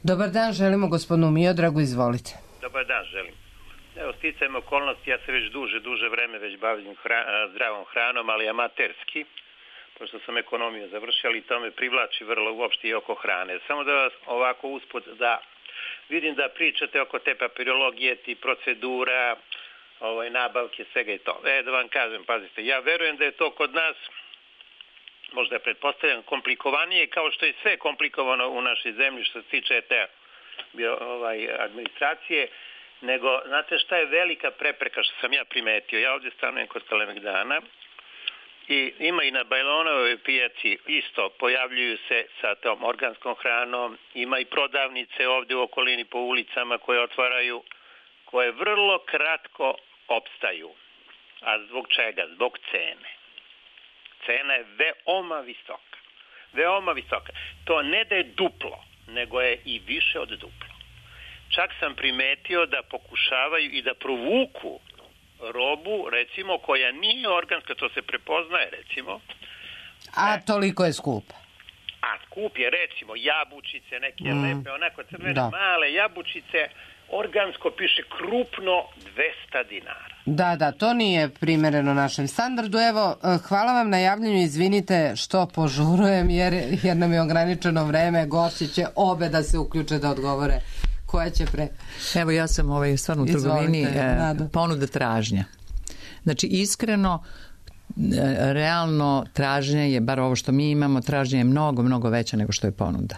Dobar dan, želimo gospodinu Miodragu, izvolite. Dobar dan, želim. Evo, sticajem okolnosti, ja se već duže, duže vreme već bavim hra, zdravom hranom, ali amaterski, pošto sam ekonomiju završio, ali to me privlači vrlo uopšte i oko hrane. Samo da vas ovako usput da vidim da pričate oko te papirologije, ti procedura, ovaj, nabavke, svega i to. E, da vam kažem, pazite, ja verujem da je to kod nas, možda je pretpostavljam, komplikovanije, kao što je sve komplikovano u našoj zemlji što se tiče te ovaj, administracije, nego, znate šta je velika prepreka što sam ja primetio? Ja ovdje stanujem kod Kalemegdana i ima i na Bajlonovoj pijaci isto, pojavljuju se sa tom organskom hranom, ima i prodavnice ovdje u okolini po ulicama koje otvaraju, koje vrlo kratko opstaju. A zbog čega? Zbog cene. Cena je veoma visoka. Veoma visoka. To ne da je duplo, nego je i više od duplo. Čak sam primetio da pokušavaju i da provuku robu, recimo, koja nije organska, to se prepoznaje, recimo. A toliko je skupa. A skup je, recimo, jabučice, neke mm. lepe, onako crvene, da. Male jabučice, organsko piše krupno dvesta dinara. Da, da, to nije primereno našem standardu. Evo, hvala vam na javljanju, izvinite što požurujem, jer, jer nam je ograničeno vreme, gošće će obe da se uključe da odgovore. Koja će pre... Evo, ja sam ovaj, stvarno u trgovini e, ponuda tražnja. Znači, iskreno, e, realno tražnje je, bar ovo što mi imamo, tražnje je mnogo, mnogo veća nego što je ponuda.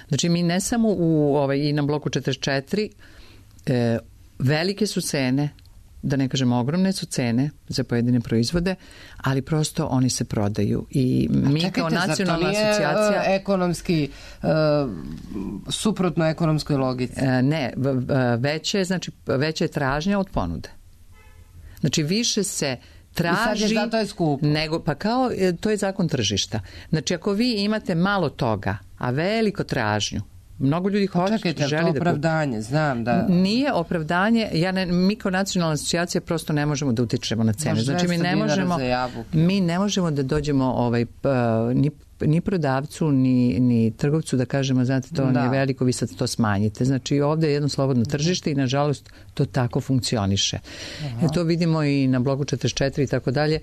Znači, mi ne samo u, ovaj, i na bloku četrdeset četiri, e, velike su cene, da ne kažem ogromne su cene za pojedine proizvode, ali prosto oni se prodaju i mi čekajte, kao nacionalna asocijacija... Uh, ekonomski, uh, suprotno ekonomskoj logici? Uh, ne, veće, znači, veća je tražnja od ponude. Znači više se traži... I sad je zato je skupo. Nego, pa kao, to je zakon tržišta. Znači ako vi imate malo toga, a veliko tražnju, mnogo ljudi hoće, čekajte, želi to da opravdanje, kupi. Znam da... Nije opravdanje, ja ne, mi kao nacionalna asocijacija prosto ne možemo da utičemo na cene. Znači mi ne možemo, mi ne možemo da dođemo ovaj, ni, ni prodavcu, ni, ni trgovcu da kažemo, znate, to da. Nije veliko, vi sad to smanjite. Znači ovdje je jedno slobodno tržište i nažalost to tako funkcioniše. E, to vidimo i na blogu četrdeset četiri i tako dalje.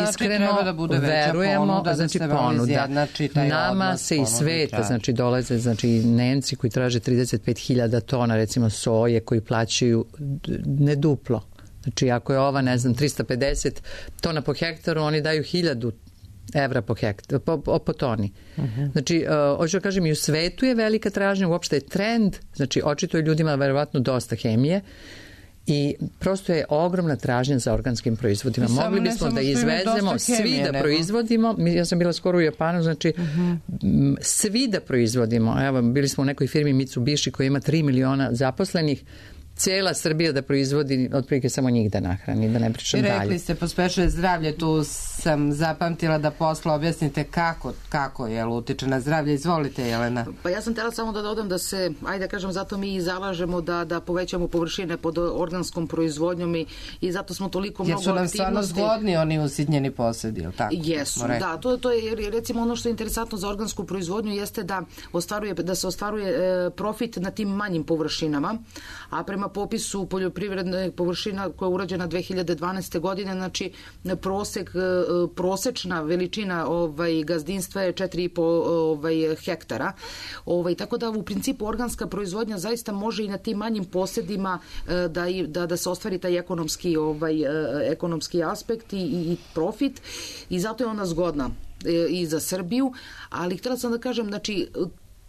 Iskreno znači, da bude verujemo, ponuda, znači da ponuda. Nama se iz sveta, znači dolaze, znači Nemci koji traže trideset pet hiljada tona recimo soje koji plaćaju ne duplo. Znači ako je ova, ne znam, trista pedeset tona po hektaru, oni daju hiljadu evra po hektar, po, po toni. Uh-huh. Znači, uh, hoću da kažem, i u svetu je velika tražnja, uopšte je trend, znači očito je ljudima verovatno dosta hemije, i prosto je ogromna tražnja za organskim proizvodima. Samo mogli bismo da izvezemo, svi da nego. proizvodimo. Ja sam bila skoro u Japanu, znači uh-huh. svi da proizvodimo. Evo, bili smo u nekoj firmi Mitsubishi koja ima tri miliona zaposlenih. Cijela Srbija da proizvodi, otprilike samo njih da nahrani, da ne pričam dalje. I rekli ste, pospešuje zdravlje, tu sam zapamtila da posle objasnite kako, kako je utiče na zdravlje. Izvolite, Jelena. Pa ja sam htjela samo da dodam da se, ajde da kažem, zato mi i zalažemo da, da povećamo površine pod organskom proizvodnjom i, i zato smo toliko mnogo aktivnosti. Jer su nam stvarno zgodni oni usitnjeni posjedi, ili tako? Jesu, da. To, to je, recimo, ono što je interesantno za organsku proizvodnju jeste da, ostvaruje, da se ostvaruje e, profit na tim manjim površinama, a prema prema popisu poljoprivredne površina koja je urađena dve hiljade dvanaeste. godine, znači prosek, prosečna veličina ovaj, gazdinstva je četiri i po ovaj, hektara. Ovaj, tako da u principu organska proizvodnja zaista može i na tim manjim posedima da, da, da se ostvari taj ekonomski, ovaj, ekonomski aspekt i, i profit i zato je ona zgodna i za Srbiju, ali htjela sam da kažem, znači,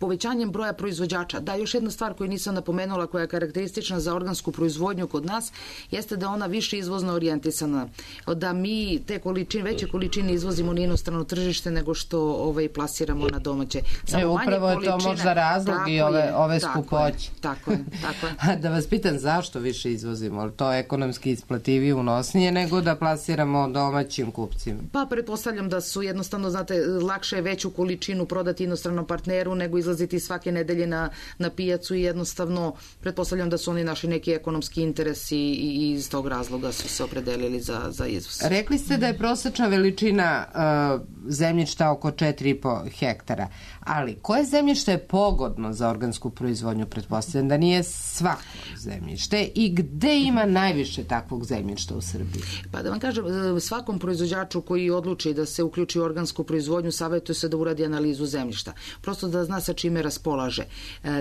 povećanjem broja proizvođača. Da, još jedna stvar koju nisam napomenula, koja je karakteristična za organsku proizvodnju kod nas, jeste da ona više izvozno orijentisana. Da mi te količine, veće količine izvozimo na inostrano tržište nego što ovaj, plasiramo na domaće. Samo e, upravo je to možda razlog i ove, ove skupoće. Tako je, tako je. Da vas pitam zašto više izvozimo? To je ekonomski isplativije, unosnije nego da plasiramo domaćim kupcima? Pa pretpostavljam da su jednostavno, znate, lakše je veću količinu prodati inostranom partneru nego izlaziti svake nedelje na, na pijacu i jednostavno pretpostavljam da su oni naši neki ekonomski interesi i iz tog razloga su se opredelili za, za izvoz. Rekli ste da je prosečna veličina uh, zemljišta oko četiri i po hektara, ali koje zemljište je pogodno za organsku proizvodnju? Pretpostavljam da nije svako zemljište i gde ima najviše takvog zemljišta u Srbiji? Pa da vam kažem, svakom proizvođaču koji odluči da se uključi u organsku proizvodnju savjetuje se da uradi analizu zemljišta. Prosto da zna sa čime raspolaže.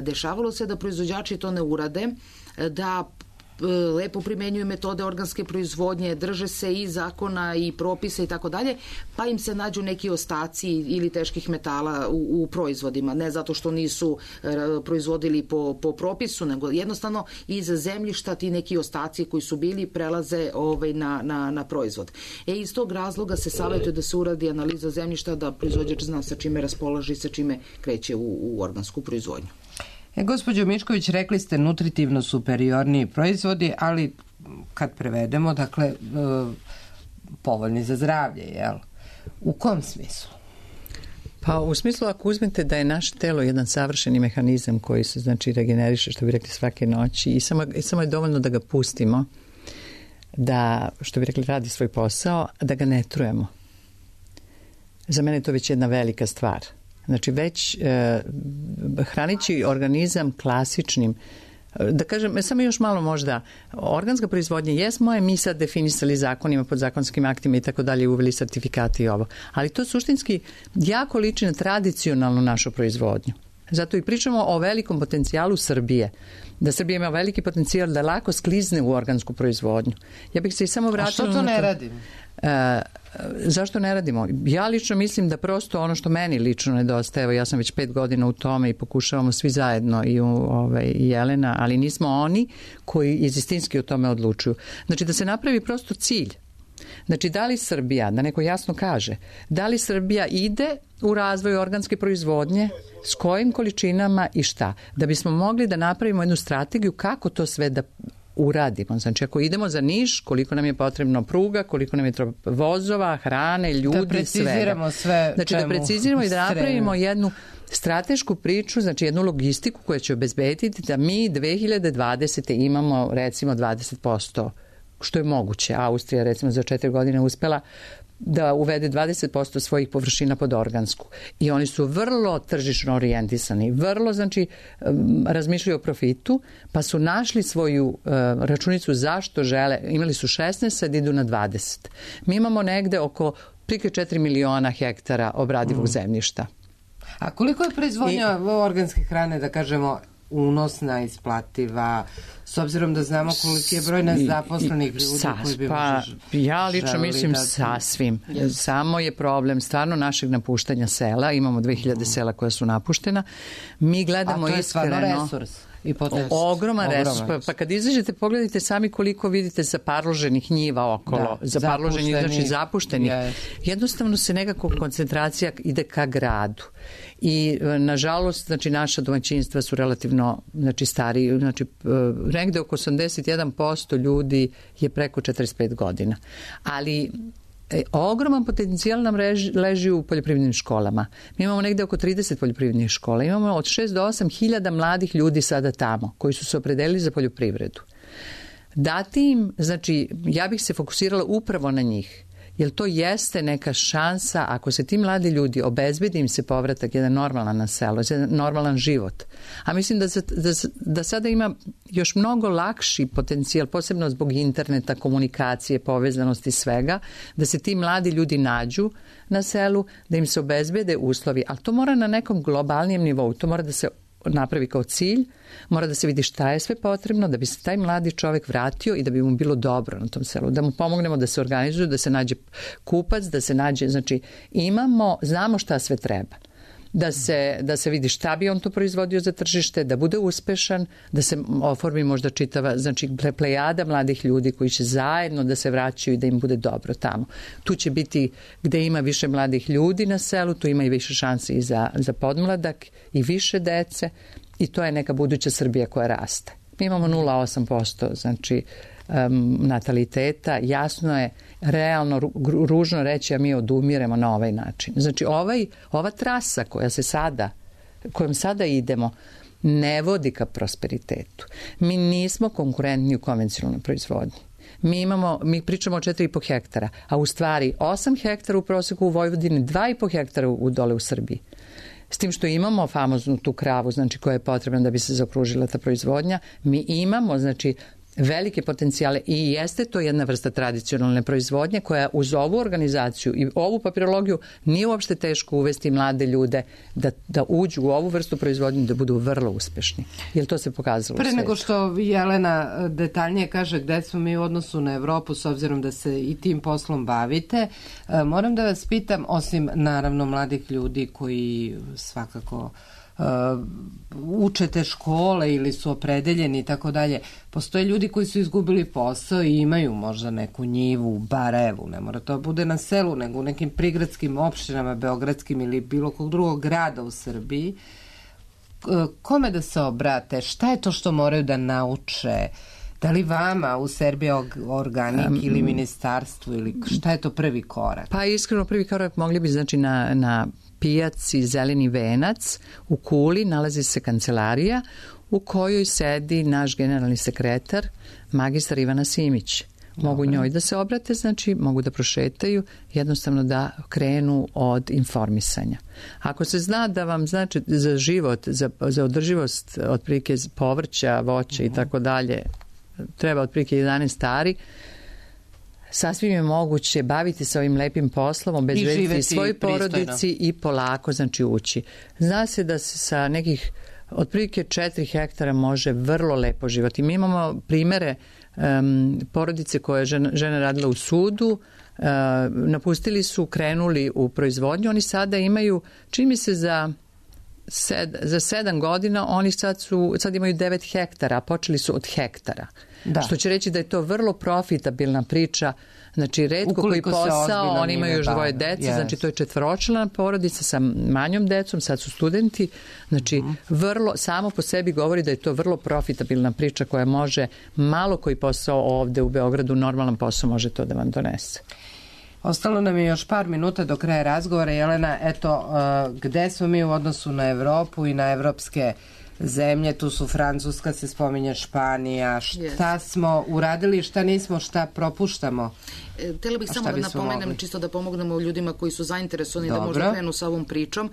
Dešavalo se da proizvođači to ne urade, da lepo primenjuju metode organske proizvodnje, drže se i zakona i propisa i tako dalje, pa im se nađu neki ostaci ili teških metala u, u proizvodima, ne zato što nisu proizvodili po, po propisu, nego jednostavno iz zemljišta ti neki ostaci koji su bili prelaze ovaj, na, na, na proizvod. E, iz tog razloga se savjetuje da se uradi analiza zemljišta, da proizvođač zna sa čime raspolaže i sa čime kreće u, u organsku proizvodnju. E, gospođo Mišković, rekli ste nutritivno superiorniji proizvodi, ali kad prevedemo, dakle, e, povoljni za zdravlje, jel? U kom smislu? Pa u smislu ako uzmete da je naše telo jedan savršeni mehanizam koji se, znači, regeneriše, što bi rekli, svake noći i samo, i samo je dovoljno da ga pustimo, da, što bi rekli, radi svoj posao, da ga ne trujemo. Za mene je to već jedna velika stvar. Znači već e, hranići organizam klasičnim, da kažem, samo još malo možda, organska proizvodnja, jesmo je mi sad definisali zakonima, podzakonskim aktima i tako dalje, uveli sertifikati i ovo, ali to suštinski jako liči na tradicionalnu našu proizvodnju. Zato i pričamo o velikom potencijalu Srbije, da Srbija ima veliki potencijal da lako sklizne u organsku proizvodnju. Ja bih se i samo vratila... A što to ne radimo? E, zašto ne radimo? Ja lično mislim da prosto ono što meni lično nedostaje, evo ja sam već pet godina u tome i pokušavamo svi zajedno i, u, ovaj, i Jelena, ali nismo oni koji izistinski o tome odlučuju. Znači da se napravi prosto cilj. Znači da li Srbija, da neko jasno kaže, da li Srbija ide u razvoj organske proizvodnje, s kojim količinama i šta, da bismo mogli da napravimo jednu strategiju kako to sve da uradimo. Znači ako idemo za Niš, koliko nam je potrebno pruga, koliko nam je vozova, hrane, ljudi, da preciziramo sve. Znači da preciziramo i da napravimo jednu stratešku priču, znači jednu logistiku koja će obezbediti da mi dve hiljade dvadesete imamo recimo dvadeset posto, što je moguće. Austrija recimo za četiri godine uspela da uvede dvadeset posto svojih površina pod organsku. I oni su vrlo tržišno orijentisani, vrlo, znači, razmišljaju o profitu, pa su našli svoju uh, računicu zašto žele. Imali su šesnaest, sad idu na dvadeset. Mi imamo negde oko prike četiri miliona hektara obradivog mm. zemljišta. A koliko je proizvodnja I, organske hrane, da kažemo, unosna, isplativa, s obzirom da znamo koliki je broj nezaposlenih ljudi sas, koji bi pa, možda ja lično mislim da... sasvim. Yes. Samo je problem stvarno našeg napuštanja sela. Imamo dve hiljade sela koja su napuštena. Mi gledamo iskreno... A to je stvarno resurs. I ogroman resurs. Pa, pa kad izađete, pogledajte sami koliko vidite zaparloženih njiva okolo. Da, zaparloženih, znači zapuštenih. Yes. Jednostavno se nekako koncentracija ide ka gradu. I nažalost, znači naša domaćinstva su relativno, znači stariji, znači negde oko osamdeset jedan posto ljudi je preko četrdeset pet godina. Ali E, ogroman potencijal nam leži, leži u poljoprivrednim školama. Mi imamo negde oko trideset poljoprivrednih škola. Imamo od šest do osam hiljada mladih ljudi sada tamo koji su se opredelili za poljoprivredu. Dati im, znači, ja bih se fokusirala upravo na njih. jer to jeste neka šansa ako se ti mladi ljudi obezbedi im se povratak jedan normalan na selo, jedan normalan život. A mislim da, da, da sada ima još mnogo lakši potencijal, posebno zbog interneta, komunikacije, povezanosti svega, da se ti mladi ljudi nađu na selu, da im se obezbede uslovi, ali to mora na nekom globalnijem nivou, to mora da se napravi kao cilj, mora da se vidi šta je sve potrebno da bi se taj mladi čovjek vratio i da bi mu bilo dobro na tom selu, da mu pomognemo da se organizuje, da se nađe kupac, da se nađe, znači imamo, znamo šta sve treba. Da se, da se vidi šta bi on to proizvodio za tržište, da bude uspešan, da se oformi možda čitava, znači plejada mladih ljudi koji će zajedno da se vraćaju i da im bude dobro tamo. Tu će biti, gde ima više mladih ljudi na selu, tu ima i više šanse i za, za podmladak i više dece i to je neka buduća Srbija koja raste. Mi imamo nula zarez osam posto, znači um, nataliteta, jasno je, realno, ružno reći, a mi odumiremo na ovaj način. Znači, ovaj, ova trasa koja se sada, kojom sada idemo, ne vodi ka prosperitetu. Mi nismo konkurentni u konvencionalnoj proizvodnji. Mi imamo, mi pričamo o četiri i po hektara, a u stvari osam hektara u proseku u Vojvodini, dva i po hektara u, dole u Srbiji. S tim što imamo famoznu tu kravu, znači koja je potrebna da bi se zaokružila ta proizvodnja, mi imamo, znači, velike potencijale i jeste to jedna vrsta tradicionalne proizvodnje koja uz ovu organizaciju i ovu papirologiju nije uopšte teško uvesti mlade ljude da, da uđu u ovu vrstu proizvodnje da budu vrlo uspešni. Jer to se pokazalo u Pre svetu. nego što Jelena detaljnije kaže gde smo mi u odnosu na Evropu, s obzirom da se i tim poslom bavite, moram da vas pitam, osim naravno mladih ljudi koji svakako Uh, učete škole ili su opredeljeni i tako dalje. Postoje ljudi koji su izgubili posao i imaju možda neku njivu u Barajevu, ne mora to bude na selu, nego u nekim prigradskim opštinama, beogradskim ili bilo kog drugog grada u Srbiji. Kome da se obrate? Šta je to što moraju da nauče? Da li vama u Serbia Organic um, ili ministarstvu ili šta je to prvi korak? Pa iskreno prvi korak mogli bi znači na, na pijaci Zeleni venac u Kuli nalazi se kancelarija u kojoj sedi naš generalni sekretar magistar Ivana Simić. Mogu Dobre. njoj da se obrate, znači mogu da prošetaju, jednostavno da krenu od informisanja. Ako se zna da vam znači za život, za, za održivost otprilike povrća, voća uh-huh. i tako dalje, treba otprilike jedanaest ari, sasvim je moguće baviti se ovim lepim poslom, obezbediti svoj porodici i polako znači ući. Zna se da se sa nekih otprilike četiri hektara može vrlo lepo živati. Mi imamo primere um, porodice koje je žena, žena radila u sudu, uh, napustili su, krenuli u proizvodnju, oni sada imaju, čini mi se za Sed, za sedam godina oni sad, su, sad imaju devet hektara, a počeli su od hektara. Da. Što će reći da je to vrlo profitabilna priča. Znači, retko Ukoliko koji posao, oni imaju još dvoje dece, yes. znači to je četvoročlana porodica sa manjom decom, sad su studenti. Znači, uh-huh. vrlo, samo po sebi govori da je to vrlo profitabilna priča koja može, malo koji posao ovde u Beogradu, normalan posao može to da vam donese. Ostalo nam je još par minuta do kraja razgovora. Jelena, eto, uh, gde smo mi u odnosu na Evropu i na evropske zemlje? Tu su Francuska, se spominje Španija. Šta yes. smo uradili, šta nismo, šta propuštamo? Htjela bih samo da napomenem, mogli? čisto da pomognemo ljudima koji su zainteresovani Dobro. da možda krenu sa ovom pričom,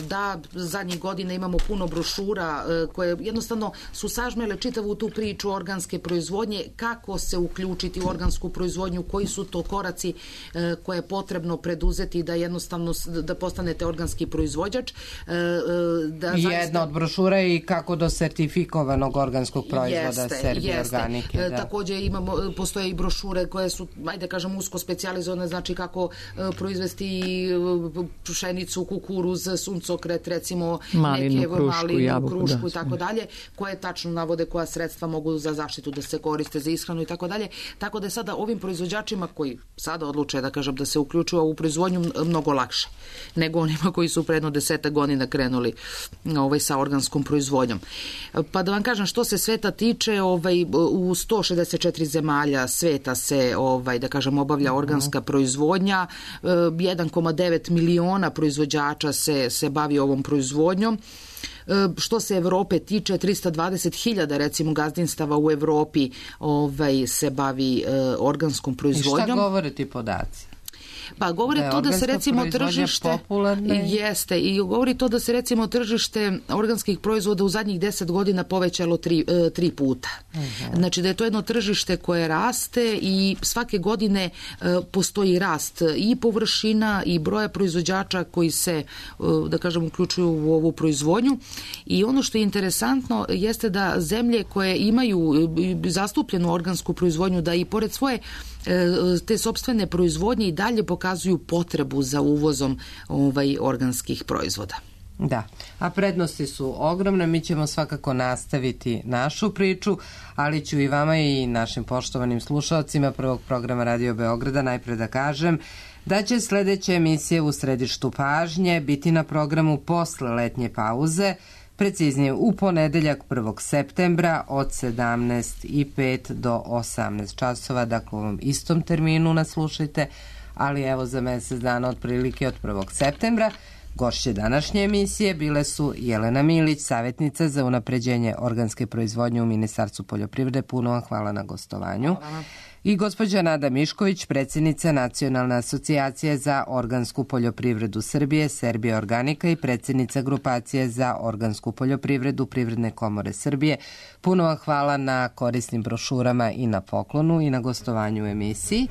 da zadnjih godina imamo puno brošura koje jednostavno su sažmele čitavu tu priču organske proizvodnje, kako se uključiti u organsku proizvodnju, koji su to koraci koje je potrebno preduzeti da jednostavno da postanete organski proizvođač. Da zaista... Jedna od brošura je i kako do sertifikovanog organskog proizvoda Serbia Organike. Da. Također imamo, postoje i brošure koje su, ajde kažem, usko specijalizovane, znači kako uh, proizvesti uh, pšenicu, kukuruz, suncokret, recimo malinu, neke krušku, malinu, jabuku, krušku da, i tako dalje, koje tačno navode koja sredstva mogu za zaštitu da se koriste, za ishranu i tako dalje. Tako da je sada ovim proizvođačima koji sada odluče da kažem da se uključuju u proizvodnju mnogo lakše nego onima koji su predno desetak godina krenuli ovaj, sa organskom proizvodnjom. Pa da vam kažem, što se sveta tiče, ovaj, u sto šezdeset četiri zemalja sveta se ovaj, da kažem obavlja organska proizvodnja, jedan zarez devet miliona proizvođača se, se bavi ovom proizvodnjom. Što se Evrope tiče, trista dvadeset hiljada recimo gazdinstava u Evropi ovaj, se bavi uh, organskom proizvodnjom. I šta govore ti podaci? Pa govori da to da se recimo tržište popularne. Jeste, i govori to da se recimo tržište organskih proizvoda u zadnjih deset godina povećalo tri, tri puta. Uh-huh. Znači da je to jedno tržište koje raste i svake godine postoji rast i površina i broja proizvođača koji se, da kažem, uključuju u ovu proizvodnju. I ono što je interesantno jeste da zemlje koje imaju zastupljenu organsku proizvodnju, da i pored svoje te sopstvene proizvodnje i dalje pokazuju potrebu za uvozom ovaj, organskih proizvoda. Da, a prednosti su ogromne, mi ćemo svakako nastaviti našu priču, ali ću i vama i našim poštovanim slušalcima prvog programa Radio Beograda najpre da kažem da će sledeća emisija U središtu pažnje biti na programu posle letnje pauze, preciznije u ponedeljak prvog septembra od sedamnaest i pet do osamnaest časova, dakle u ovom istom terminu nas slušajte, ali evo za mesec dana otprilike od prvog septembra. Gošće današnje emisije bile su Jelena Milić, savjetnica za unapređenje organske proizvodnje u Ministarstvu poljoprivrede. Puno vam hvala na gostovanju. Hvala. I gospođa Nada Mišković, predsjednica Nacionalne asocijacije za organsku poljoprivredu Srbije, Serbia Organika i predsjednica grupacije za organsku poljoprivredu Privredne komore Srbije. Puno vam hvala na korisnim brošurama i na poklonu i na gostovanju u emisiji.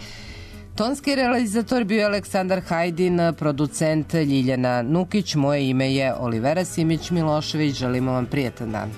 Tonski realizator bio Aleksandar Hajdin, producent Ljiljana Nukić, moje ime je Olivera Simić Milošević, želimo vam prijetan dan.